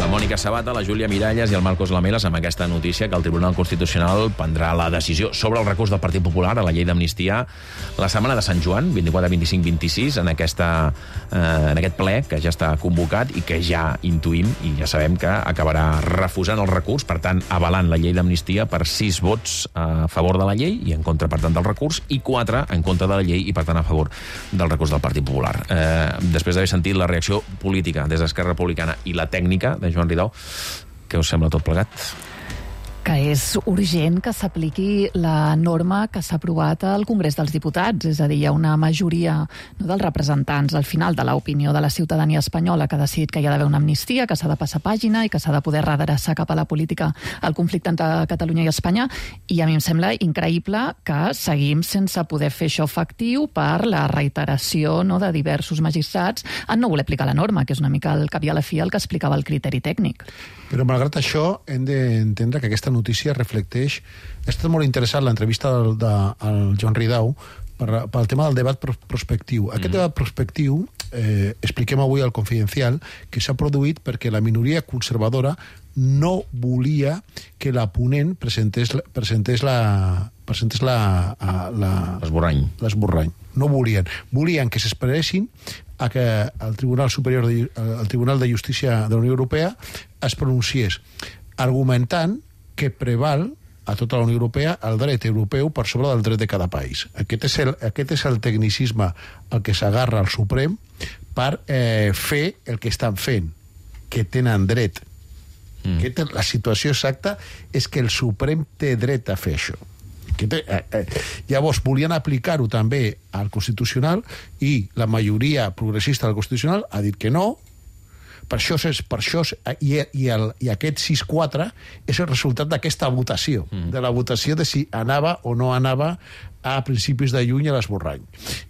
La Mònica Sabata, la Júlia Miralles i el Marcos Lamelas amb aquesta notícia que el Tribunal Constitucional prendrà la decisió sobre el recurs del Partit Popular a la llei d'amnistia la setmana de Sant Joan, 24, 25, 26, en aquest ple que ja està convocat i que ja intuïm i ja sabem que acabarà refusant el recurs, per tant, avalant la llei d'amnistia per 6 vots a favor de la llei i en contra, per tant, del recurs, i 4 en contra de la llei i, per tant, a favor del recurs del Partit Popular. Després d'haver sentit la reacció política des d'Esquerra Republicana i la tècnica de Joan Ridao, què us sembla tot plegat? Que és urgent que s'apliqui la norma que s'ha aprovat al Congrés dels Diputats, és a dir, hi ha una majoria dels representants al final de l'opinió de la ciutadania espanyola que ha decidit que hi ha d'haver una amnistia, que s'ha de passar pàgina i que s'ha de poder redreçar cap a la política el conflicte entre Catalunya i Espanya, i a mi em sembla increïble que seguim sense poder fer això efectiu per la reiteració de diversos magistrats en no voler aplicar la norma, que és una mica al cap i a la fi el que explicava el criteri tècnic. Però malgrat això hem d'entendre que aquesta notícia reflecteix... Ha estat molt interessant l'entrevista del Joan Ridao pel tema del debat prospectiu. Aquest debat prospectiu, expliquem avui al Confidencial, que s'ha produït perquè la minoria conservadora no volia que la ponent presentés l'esborrany. No volien. Volien que s'esperessin a que el Tribunal Superior, el Tribunal de Justícia de la Unió Europea es pronunciés, argumentant que preval a tota la Unió Europea el dret europeu per sobre del dret de cada país. Aquest és el tecnicisme al que s'agarra el Suprem per fer el que estan fent, que tenen dret. La situació exacta és que el Suprem té dret a fer això. Llavors volien aplicar-ho també al Constitucional i la majoria progressista del Constitucional ha dit que no, i aquest 6-4 és el resultat d'aquesta votació, de la votació de si anava o no anava a principis de juny a l'esborrany.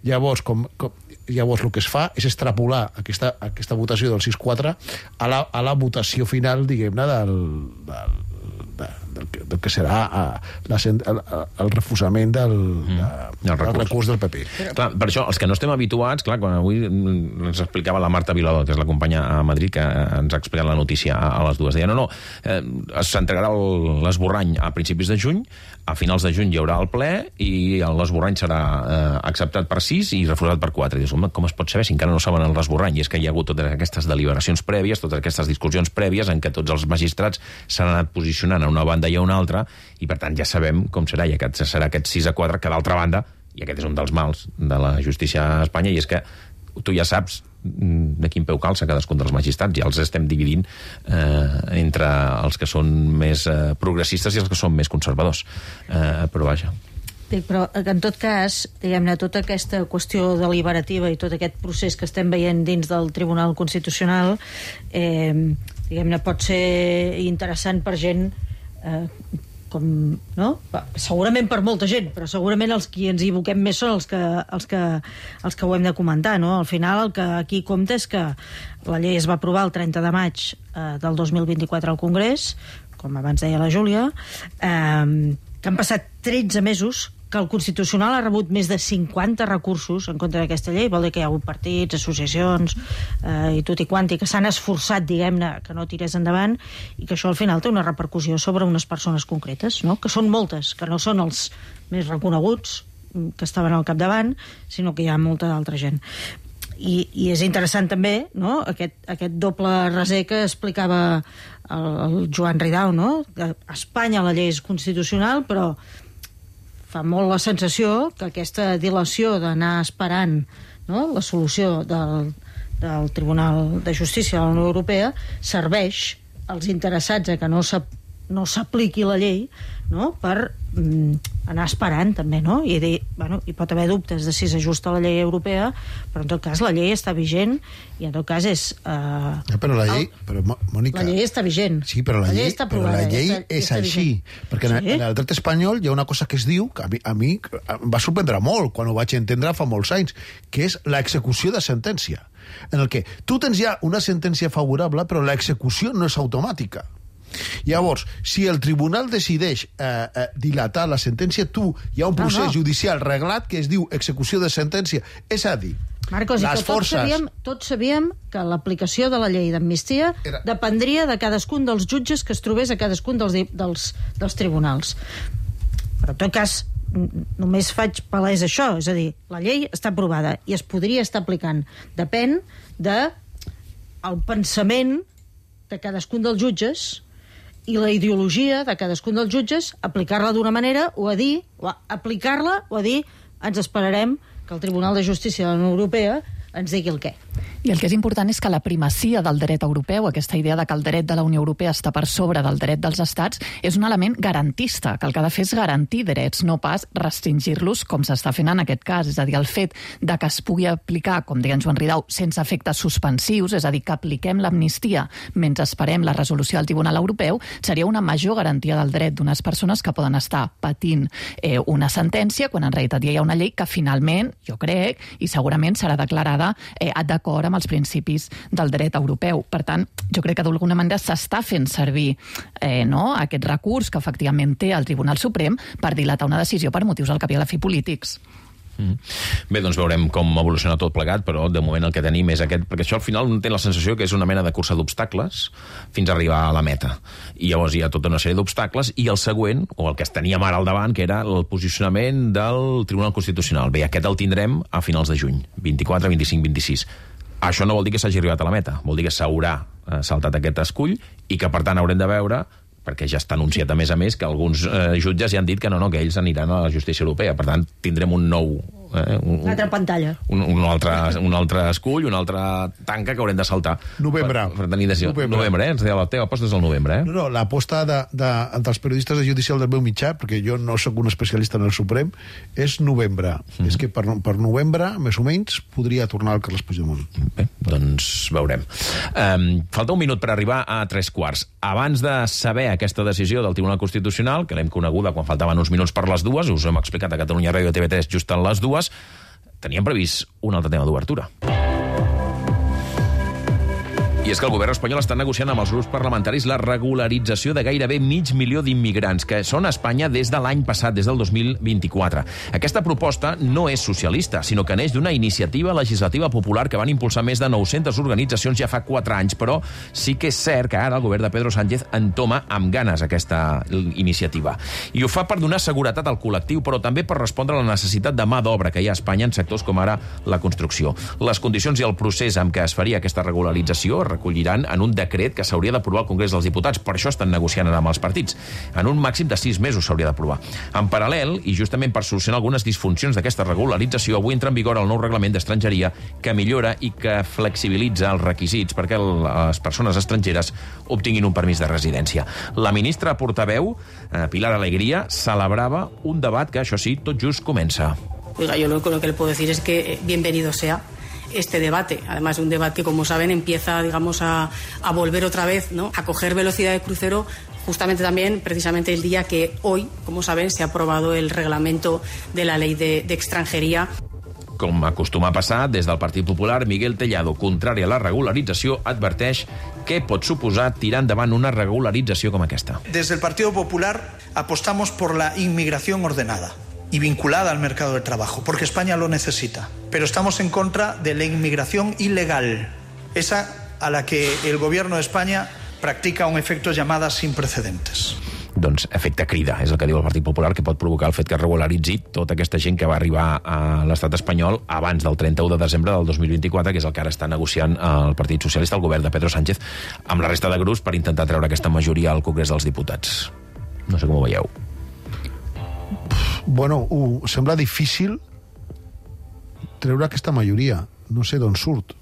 Llavors, el que es fa és extrapolar aquesta votació del 6-4 a la votació final, diguem-ne, del que serà el refusament del recurs del PP. Clar, per això, els que no estem habituats, clar, quan avui ens explicava la Marta Vilador, que és la companya a Madrid, que ens ha explicat la notícia a les dues, deia, s'entregarà l'esborrany a principis de juny, a finals de juny hi haurà el ple i l'esborrany serà acceptat per 6 i refusat per 4. I dius, home, com es pot saber si encara no saben l'esborrany? I és que hi ha hagut totes aquestes deliberacions prèvies, totes aquestes discussions prèvies en què tots els magistrats s'han anat posicionant a una banda i a una altra, i per tant ja sabem com serà, i aquest serà aquest 6-4, que d'altra banda, i aquest és un dels mals de la justícia a Espanya, i és que tu ja saps de quin peu calça cadascun dels magistrats, ja els estem dividint entre els que són més progressistes i els que són més conservadors. Però vaja. Però en tot cas, diguem-ne, tota aquesta qüestió deliberativa i tot aquest procés que estem veient dins del Tribunal Constitucional diguem-ne, pot ser interessant per gent segurament per molta gent, però segurament els que ens hi evoquem més són els que ho hem de comentar, no? Al final el que aquí compta és que la llei es va aprovar el 30 de maig del 2024 al Congrés, com abans deia la Júlia, que han passat 13 mesos, que el Constitucional ha rebut més de 50 recursos en contra d'aquesta llei, vol dir que hi ha hagut partits, associacions i tot i quanti, que s'han esforçat, diguem-ne, que no tirés endavant, i que això al final té una repercussió sobre unes persones concretes, no? Que són moltes, que no són els més reconeguts que estaven al capdavant, sinó que hi ha molta d'altra gent. I és interessant també, no?, aquest doble raser que explicava el Joan Ridao, no?, que a Espanya la llei és constitucional, però fa molt la sensació que aquesta dilació d'anar esperant, no?, la solució del Tribunal de Justícia de la Unió Europea serveix als interessats a que no s'apliqui la llei, no?, per anar esperant també, no?, i dir, bueno, hi pot haver dubtes de si s'ajusta a la llei europea, però en tot cas la llei està vigent i en tot cas és... Però la llei, Mònica... La llei està vigent. Sí, però la llei està aprovada, però la llei és així, perquè en el dret espanyol hi ha una cosa que es diu, que a mi em va sorprendre molt quan ho vaig entendre fa molts anys, que és l'execució de sentència, en el que tu tens ja una sentència favorable, però l'execució no és automàtica. Llavors, si el tribunal decideix dilatar la sentència, hi ha un procés judicial reglat que es diu execució de sentència. És a dir, Marcos, les forces... Tots sabíem que l'aplicació de la llei d'amnistia dependria de cadascun dels jutges que es trobés a cadascun dels tribunals. Però en tot cas, només faig palès això, és a dir, la llei està aprovada i es podria estar aplicant. Depèn del pensament de cadascun dels jutges i la ideologia de cadascun dels jutges, aplicar-la d'una manera o aplicar-la o a dir ens esperarem que el Tribunal de Justícia de la Unió Europea ens digui el què. I el que és important és que la primacia del dret europeu, aquesta idea de que el dret de la Unió Europea està per sobre del dret dels estats, és un element garantista, que el que ha de fer és garantir drets, no pas restringir-los com s'està fent en aquest cas. És a dir, el fet de que es pugui aplicar, com deia en Joan Ridao, sense efectes suspensius, és a dir, que apliquem l'amnistia mentre esperem la resolució del Tribunal Europeu, seria una major garantia del dret d'unes persones que poden estar patint una sentència, quan en realitat ja hi ha una llei que finalment, jo crec, i segurament serà declarada d'acord amb els principis del dret europeu. Per tant, jo crec que d'alguna manera s'està fent servir aquest recurs que efectivament té el Tribunal Suprem per dilatar una decisió per motius al cap i a la fi polítics. Bé, doncs veurem com evoluciona tot plegat, però de moment el que tenim és aquest, perquè això al final té la sensació que és una mena de cursa d'obstacles fins a arribar a la meta, i llavors hi ha tota una sèrie d'obstacles, i el següent, o el que teníem ara al davant, que era el posicionament del Tribunal Constitucional. Bé, aquest el tindrem a finals de juny, 24, 25, 26. Això no vol dir que s'hagi arribat a la meta, vol dir que s'haurà saltat aquest escull i que per tant haurem de veure, perquè ja està anunciat a més, que alguns jutges ja han dit que no, que ells aniran a la justícia europea. Per tant, tindrem un nou Una altra pantalla. Un altre escull, una altra tanca que haurem de saltar. Novembre. Novembre, ens deia la teva aposta és el novembre, eh? No, l'aposta dels periodistes de judicial del meu mitjà, perquè jo no sóc un especialista en el Suprem, és novembre. És que per novembre, més o menys, podria tornar el Carles Puigdemont. Bé, doncs veurem. Falta un minut per arribar a 3:15. Abans de saber aquesta decisió del Tribunal Constitucional, que l'hem coneguda quan faltaven uns minuts per les 2, us hem explicat a Catalunya Ràdio i TV3 just a les 2, teníem previst un altre tema d'obertura. I és que el govern espanyol està negociant amb els grups parlamentaris la regularització de gairebé 500.000 d'immigrants que són a Espanya des de l'any passat, des del 2024. Aquesta proposta no és socialista, sinó que neix d'una iniciativa legislativa popular que van impulsar més de 900 organitzacions ja fa 4 anys, però sí que és cert que ara el govern de Pedro Sánchez entoma amb ganes aquesta iniciativa. I ho fa per donar seguretat al col·lectiu, però també per respondre a la necessitat de mà d'obra que hi ha a Espanya en sectors com ara la construcció. Les condicions i el procés amb què es faria aquesta regularització recolliran en un decret que s'hauria d'aprovar al Congrés dels Diputats. Per això estan negociant ara amb els partits. En un màxim de 6 mesos s'hauria d'aprovar. En paral·lel, i justament per solucionar algunes disfuncions d'aquesta regularització, avui entra en vigor el nou reglament d'estrangeria que millora i que flexibilitza els requisits perquè les persones estrangeres obtinguin un permís de residència. La ministra portaveu, Pilar Alegría, celebrava un debat que, això sí, tot just comença. Oiga, yo lo que le puedo decir es que bienvenido sea este debate. Además, un debate que, como saben, empieza, digamos, a volver otra vez, ¿no?, a coger velocidad de crucero, justamente también, precisamente el día que hoy, como saben, se ha aprobado el reglamento de la ley de extranjería. Com acostuma a passar, des del Partit Popular, Miguel Tellado, contrari a la regularització, adverteix què pot suposar tirar endavant una regularització com aquesta. Desde el Partido Popular apostamos por la inmigración ordenada y vinculada al mercado de trabajo, porque España lo necesita. Pero estamos en contra de la inmigración ilegal, esa a la que el gobierno de España practica un efecto llamada sin precedentes. Doncs efecte crida, és el que diu el Partit Popular, que pot provocar el fet que regularitzi tota aquesta gent que va arribar a l'estat espanyol abans del 31 de desembre del 2024, que és el que ara està negociant el Partit Socialista, el govern de Pedro Sánchez, amb la resta de grups per intentar treure aquesta majoria al Congrés dels Diputats. No sé com ho veieu. Bueno, sembla difícil treure aquesta majoria. No sé d'on surt.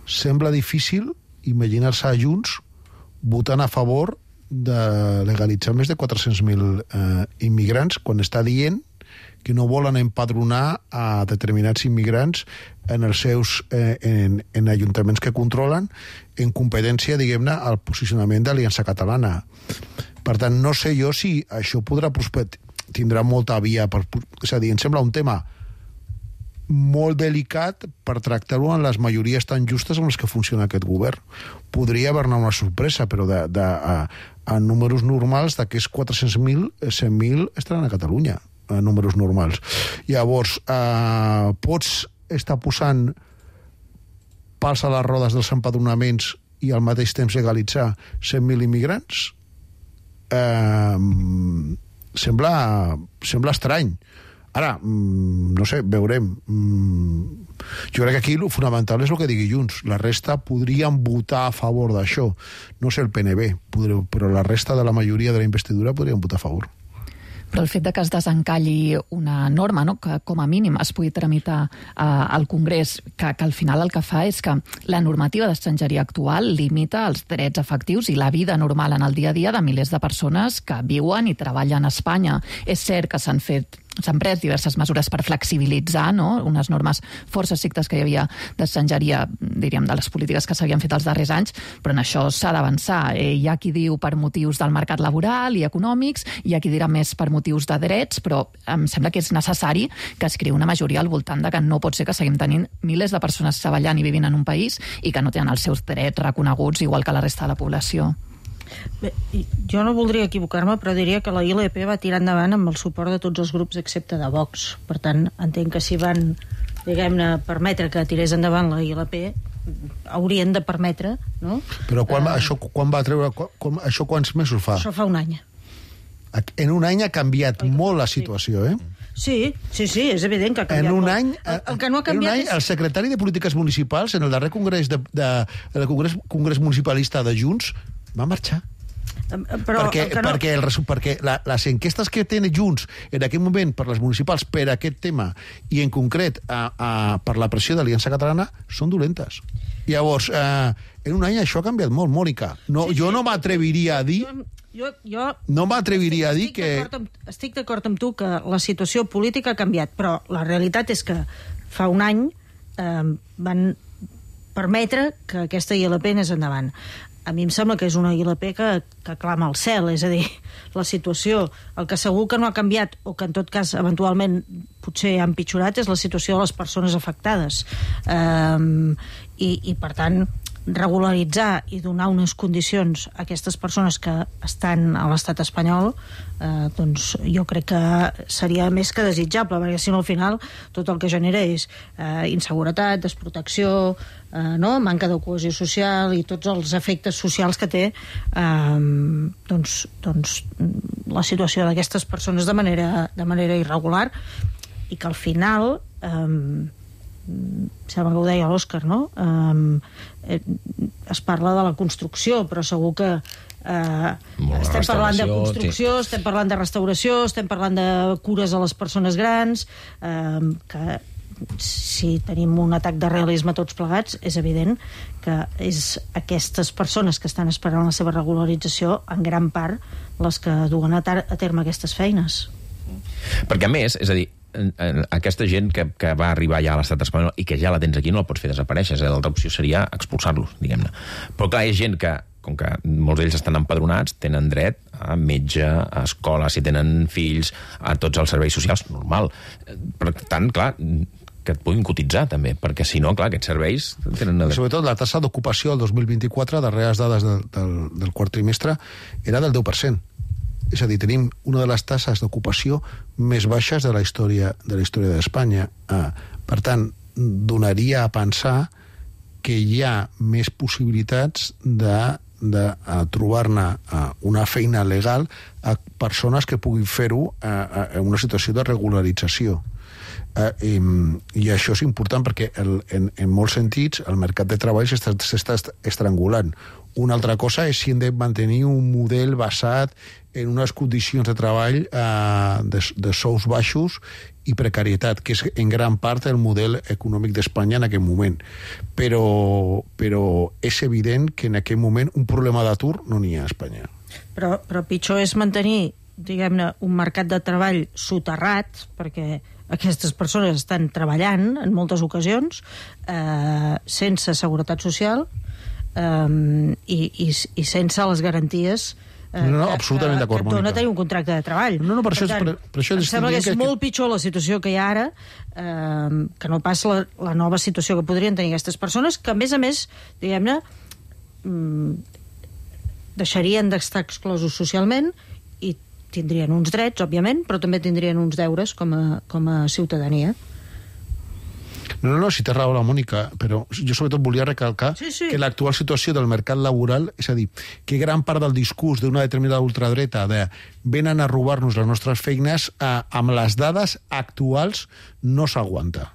Sembla difícil imaginar-se a Junts votant a favor de legalitzar més de 400.000 immigrants quan està dient que no volen empadronar a determinats immigrants en els seus en ajuntaments que controlen en competència, diguem-ne, al posicionament d'Aliança Catalana. Per tant, no sé jo si això podrà tindrà molta via és a dir, em sembla un tema molt delicat per tractar-ho en les majories tan justes amb les que funciona aquest govern. Podria haver-ne una sorpresa, però a números normals d'aquests 400.000, 100.000 estaran a Catalunya, a números normals. Llavors, pots estar posant pals a les rodes dels empadronaments i al mateix temps legalitzar 100.000 immigrants? Sembla estrany. Ara, no sé, veurem. Jo crec que aquí el fonamental és el que digui Junts. La resta podrien votar a favor d'això. No sé el PNB, però la resta de la majoria de la investidura podrien votar a favor. Però el fet de que es desencalli una norma, no?, que com a mínim es pugui tramitar al Congrés, que al final el que fa és que la normativa d'estrangeria actual limita els drets efectius i la vida normal en el dia a dia de milers de persones que viuen i treballen a Espanya. És cert que s'han pres diverses mesures per flexibilitzar, no?, unes normes força estrictes que hi havia d'estrangeria, diríem, de les polítiques que s'havien fet els darrers anys, però en això s'ha d'avançar. Hi ha qui diu per motius del mercat laboral i econòmics, hi ha qui dirà més per motius de drets, però em sembla que és necessari que es creï una majoria al voltant de que no pot ser que seguim tenint milers de persones treballant i vivint en un país i que no tenen els seus drets reconeguts igual que la resta de la població. Bé, jo no voldria equivocar-me, però diria que la ILP va tirar endavant amb el suport de tots els grups excepte de Vox. Per tant, entenc que si van, diguem-ne, permetre que tirés endavant la ILP, haurien de permetre, no? Però això quan va treure... Això quants mesos fa? Això fa un any. En un any ha canviat molt la situació, eh? Sí, és evident que ha canviat molt. En un any, el que no ha canviat és... El secretari de Polítiques Municipals, en el darrer congrés municipalista de Junts, va marxar. Perquè les enquestes que tenen Junts en aquest moment per les municipals per aquest tema i en concret per la pressió d'Aliança Catalana són dolentes. Llavors, en un any això ha canviat molt, Mònica. Jo no m'atreviria a dir... No m'atreviria a dir que... Estic d'acord amb tu que la situació política ha canviat, però la realitat és que fa un any van permetre que aquesta ILP anés endavant. A mi em sembla que és una ILP que clama al cel, és a dir, la situació, el que segur que no ha canviat, o que en tot cas eventualment potser ha empitjorat, és la situació de les persones afectades. I per tant, regularitzar i donar unes condicions a aquestes persones que estan a l'estat espanyol, doncs jo crec que seria més que desitjable, perquè si no al final tot el que genera és inseguretat, desprotecció, manca de cohesió social i tots els efectes socials que té doncs la situació d'aquestes persones de manera irregular, i que al final sembla que ho deia l'Òscar, no? Es parla de la construcció, però segur que estem parlant de construcció, estem parlant de restauració, estem parlant de cures a les persones grans, que si tenim un atac de realisme tots plegats, és evident que és aquestes persones que estan esperant la seva regularització en gran part les que duen a terme aquestes feines. Perquè a més, és a dir, aquesta gent que va arribar ja a l'estat espanyol i que ja la tens aquí no la pots fer desaparèixer, l'altra opció seria expulsar-los, diguem-ne. Però clar, és gent que, com que molts d'ells estan empadronats, tenen dret a metge, a escola, si tenen fills, a tots els serveis socials, normal. Per tant, clar, que et puguin cotitzar també, perquè si no, clar, aquests serveis tenen... Sobretot la tassa d'ocupació el 2024, darreres dades del quart trimestre, era del 10%. És a dir, tenim una de les tasses d'ocupació més baixes de la història d'Espanya. Per tant, donaria a pensar que hi ha més possibilitats de trobar-ne una feina legal a persones que puguin fer-ho en una situació de regularització. I això és important perquè en molts sentits el mercat de treball s'està estrangulant. Una altra cosa és si hem de mantenir un model basat en unes condicions de treball de sous baixos i precarietat, que és en gran part el model econòmic d'Espanya en aquest moment. Però és evident que en aquest moment un problema d'atur no n'hi ha a Espanya. Però pitjor és mantenir, diguem-ne, un mercat de treball soterrat, perquè aquestes persones estan treballant en moltes ocasions sense seguretat social i sense les garanties absolutament d'acord, Mònica. No tenir un contracte de treball. Per això em sembla que és molt pitjor la situació que hi ha ara que no pas la nova situació que podrien tenir aquestes persones, que a més, diguem-ne, deixarien d'estar exclosos socialment i tindrien uns drets, òbviament, però també tindrien uns deures com a ciutadania. No, si té raó la Mònica, però jo sobretot volia recalcar que l'actual situació del mercat laboral, és a dir, que gran part del discurs d'una determinada ultradreta de venen a robar-nos les nostres feines, amb les dades actuals no s'aguanta.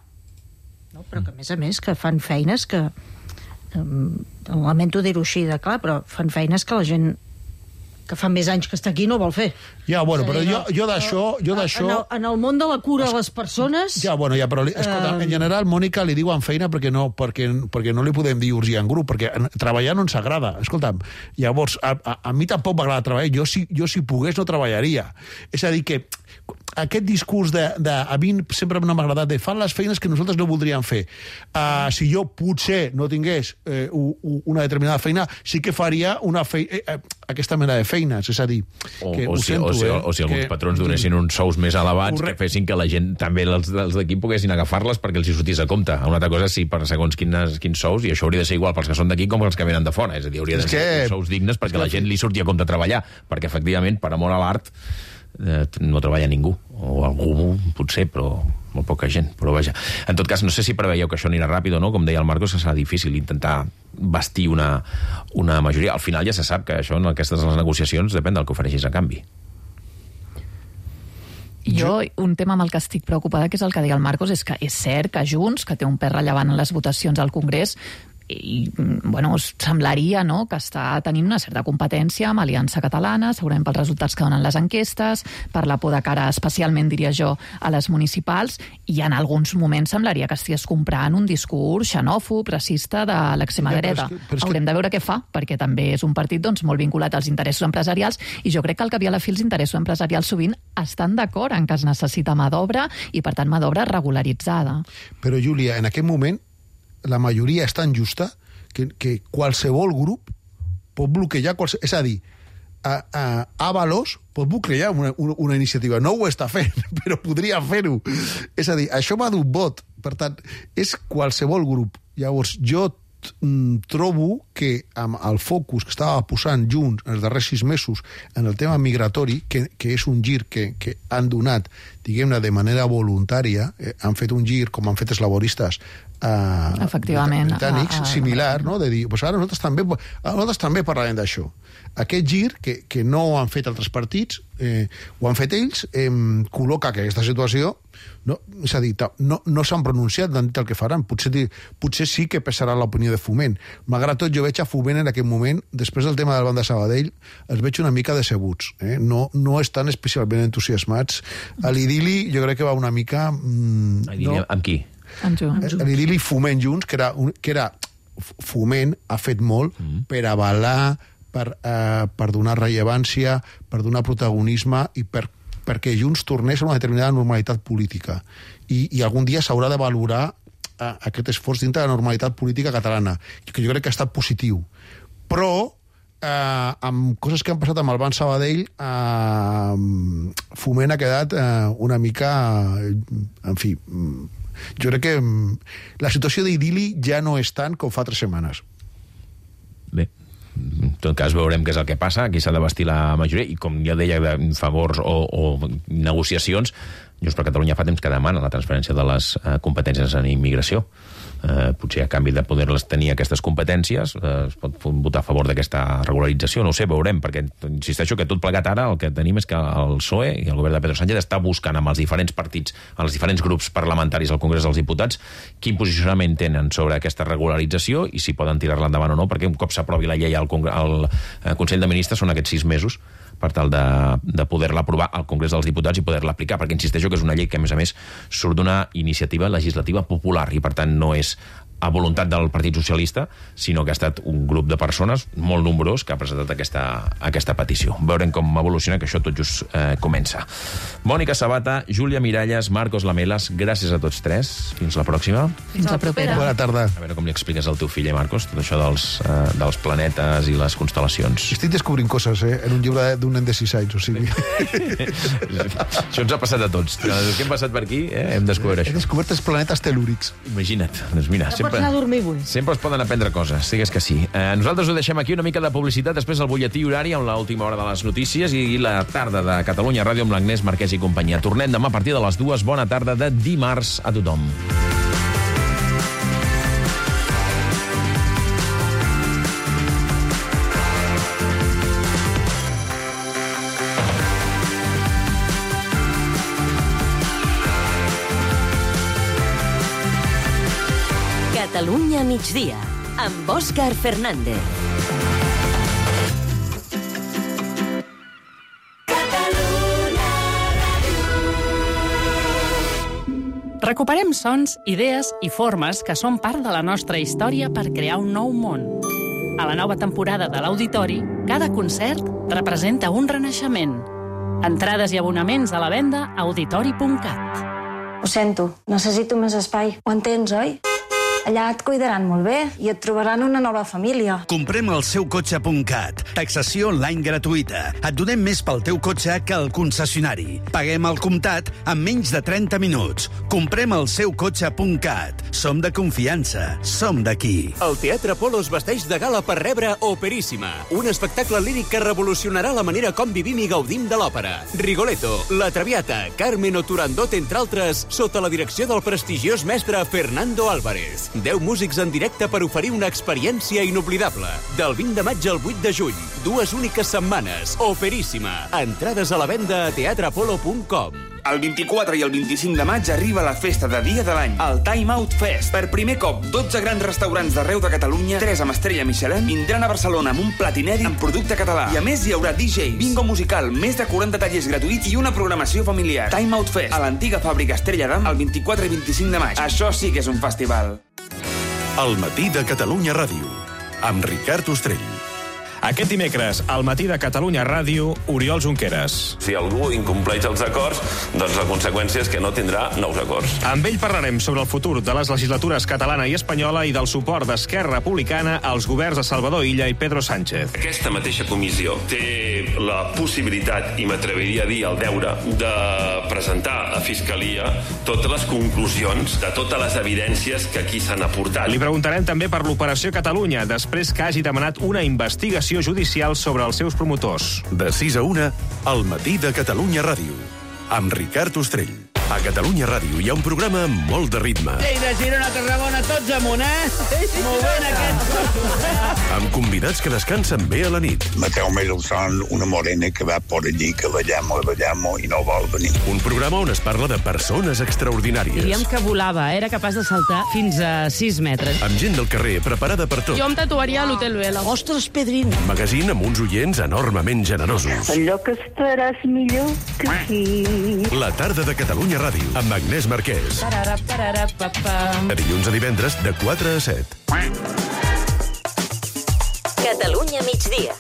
No, però que a més que fan feines que lamento dir-ho així de clar, però fan feines que la gent que fa més anys que està aquí no vol fer. Ja, bueno, però jo d'això... En el món de la cura a les persones... Ja, però escolta, en general, Mònica li diuen feina perquè no li podem dir urgir en grup, perquè treballar no ens agrada. Escolta'm, llavors, a mi tampoc m'agrada treballar. Jo, si pogués, no treballaria. És a dir, que aquest discurs a mi sempre no m'ha agradat de fan les feines que nosaltres no voldríem fer. Si jo potser no tingués una determinada feina, sí que faria aquesta mena de feines. És a dir, que ho sento, o si alguns patrons donessin uns sous més elevats que fessin que la gent, també els d'aquí, poguessin agafar-les perquè els hi sortís a compte. Una altra cosa, sí, per segons quins sous, i això hauria de ser igual pels que són d'aquí com pels que venen de fora. És a dir, hauria de ser sous dignes perquè la gent li surti a compte treballar, perquè efectivament, per amor a l'art, no treballa ningú, o algú potser, però molt poca gent, però vaja. En tot cas, no sé si preveieu que això anirà ràpid o no, com deia el Marcos, que serà difícil intentar bastir una majoria. Al final ja se sap que això en aquestes negociacions depèn del que ofereixis a canvi. Jo, un tema amb el que estic preocupada, que és el que deia el Marcos, és que és cert que Junts, que té un pes rellevant en les votacions al Congrés, bueno, semblaria, no?, que està tenint una certa competència amb Aliança Catalana, segurament pels resultats que donen les enquestes, per la por de cara, especialment, diria jo, a les municipals, i en alguns moments semblaria que estigués comprant un discurs xenòfob, racista de l'extrema dreta. Haurem de veure què fa, perquè també és un partit doncs, molt vinculat als interessos empresarials, i jo crec que al cap i a la fi els interessos empresarials sovint estan d'acord en que es necessita mà d'obra i, per tant, mà d'obra regularitzada. Però, Júlia, en aquest moment la majoria és tan justa que qualsevol grup pot bloquejar és a dir, Avalos pot bloquejar una iniciativa. No ho està fent, però podria fer-ho. És a dir, això va d'un vot. Per tant, és qualsevol grup. Llavors, jo trobo que amb el focus que estava posant Junts els darrers 6 mesos en el tema migratori, que és un gir que han donat, diguem-ne, de manera voluntària, han fet un gir, com han fet els laboristes britànics, similar, no? De dir, pues ara nosaltres també parlarem d'això. Aquest gir, que no ho han fet altres partits, ho han fet ells, col·loca que aquesta situació, no, és a dir, no s'han pronunciat, han dit el que faran. Potser sí que pesarà l'opinió de Foment. Malgrat tot, jo veig a Foment en aquest moment, després del tema del Banc de Sabadell, els veig una mica decebuts. No estan especialment entusiasmats. A l'idili jo crec que va una mica... Amb qui? L'idili Foment Junts, que era Foment, ha fet molt per avalar, per donar rellevància, per donar protagonisme i perquè Junts tornés a una determinada normalitat política. I algun dia s'haurà de valorar aquest esforç dintre de la normalitat política catalana, que jo crec que ha estat positiu. Però, amb coses que han passat amb el Banc Sabadell, Foment ha quedat una mica... En fi, jo crec que la situació d'idili ja no és tant com fa 3 setmanes. Bé, en tot cas veurem què és el que passa, aquí s'ha de bastir la majoria, i com ja deia, de favors o negociacions, Junts per Catalunya fa temps que demana la transferència de les competències en immigració. Potser a canvi de poder-les tenir aquestes competències es pot votar a favor d'aquesta regularització, no ho sé, veurem, perquè insisteixo que tot plegat ara el que tenim és que el PSOE i el govern de Pedro Sánchez està buscant amb els diferents partits, amb els diferents grups parlamentaris al Congrés dels Diputats, quin posicionament tenen sobre aquesta regularització i si poden tirar-la endavant o no, perquè un cop s'aprovi la llei al Consell de Ministres són aquests 6 mesos per tal de poder-la aprovar al Congrés dels Diputats i poder-la aplicar, perquè insisteixo que és una llei que, a més, surt d'una iniciativa legislativa popular i, per tant, no és a voluntat del Partit Socialista, sinó que ha estat un grup de persones molt nombrós que ha presentat aquesta petició. Veurem com evoluciona, que això tot just comença. Mònica Sabata, Júlia Miralles, Marcos Lamelas, gràcies a tots 3. Fins la pròxima. Fins la propera. Bona tarda. A veure com li expliques al teu fill, Marcos, tot això dels planetes i les constel·lacions. Estic descobrint coses, en un llibre d'un nen de 6 anys, o sigui... Això ens ha passat a tots. Els que hem passat per aquí, hem descobert això. He descobert els planetes telúrics. Imagina't. Doncs mira, pots anar a dormir avui. Sempre es poden aprendre coses, digues que sí. Nosaltres ho deixem aquí, una mica de publicitat, després el butlletí horari amb l'última hora de les notícies i la tarda de Catalunya Ràdio amb l'Agnès Marquès i companyia. Tornem demà a partir de les 2. Bona tarda de dimarts a tothom. Catalunya migdia, amb Òscar Fernández. Recuperem sons, idees i formes que són part de la nostra història per crear un nou món. A la nova temporada de l'Auditori, cada concert representa un renaixement. Entrades i abonaments a la venda a auditori.cat. Ho sento, necessito més espai. Ho entens, oi? Allà et cuidaran molt bé i et trobaran una nova família. Comprem el seucotxe.cat. Taxació online gratuïta. Et donem més pel teu cotxe que al concessionari. Paguem al comptat en menys de 30 minuts. Comprem el seucotxe.cat. Som de confiança. Som d'aquí. El Teatre Apolo es vesteix de gala per rebre Operíssima, un espectacle líric que revolucionarà la manera com vivim i gaudim de l'òpera. Rigoletto, La Traviata, Carmen o Turandot, entre altres, sota la direcció del prestigiós mestre Fernando Álvarez. 10 músics en directe per oferir una experiència inoblidable. Del 20 de maig al 8 de juny, 2 úniques setmanes. Operíssima. Entrades a la venda a teatreapolo.com. El 24 i el 25 de maig arriba la festa de dia de l'any, el Time Out Fest. Per primer cop, 12 grans restaurants d'arreu de Catalunya, 3 amb estrella Michelin, vindran a Barcelona amb un plat inèdit amb producte català. I a més hi haurà DJ, bingo musical, més de 40 tallers gratuïts i una programació familiar. Time Out Fest, a l'antiga fàbrica Estrella d'Am, el 24 i 25 de maig. Això sí que és un festival. El matí de Catalunya Ràdio, amb Ricard Ostrell. Aquest dimecres, al matí de Catalunya Ràdio, Oriol Junqueras. Si algú incompleix els acords, doncs la conseqüència és que no tindrà nous acords. Amb ell parlarem sobre el futur de les legislatures catalana i espanyola i del suport d'Esquerra Republicana als governs de Salvador Illa i Pedro Sánchez. Aquesta mateixa comissió té la possibilitat, i m'atreviria a dir el deure, de presentar a Fiscalia totes les conclusions de totes les evidències que aquí s'han aportat. Li preguntarem també per l'Operació Catalunya, després que hagi demanat una investigació judicial sobre els seus promotors. De 6 a 1, al matí de Catalunya Ràdio, amb Ricard Ostrell. A Catalunya Ràdio hi ha un programa amb molt de ritme. Lleida, Girona, Tarragona, tots amunt, Movent aquest... Amb convidats que descansen bé a la nit. Mateu Mendelssohn, una morena que va por allí, que la llamo i no vol venir. Un programa on es parla de persones extraordinàries. Diríem que volava, era capaç de saltar fins a 6 metres. Amb gent del carrer preparada per tot. Jo em tatuaria a l'Hotel Vela. Ostres, Pedrín! Magazín amb uns oients enormement generosos. Allò que estaràs millor que aquí. La tarda de Catalunya Ràdio, amb Agnès Marquès. De dilluns a divendres, de 4 a 7. Catalunya migdia.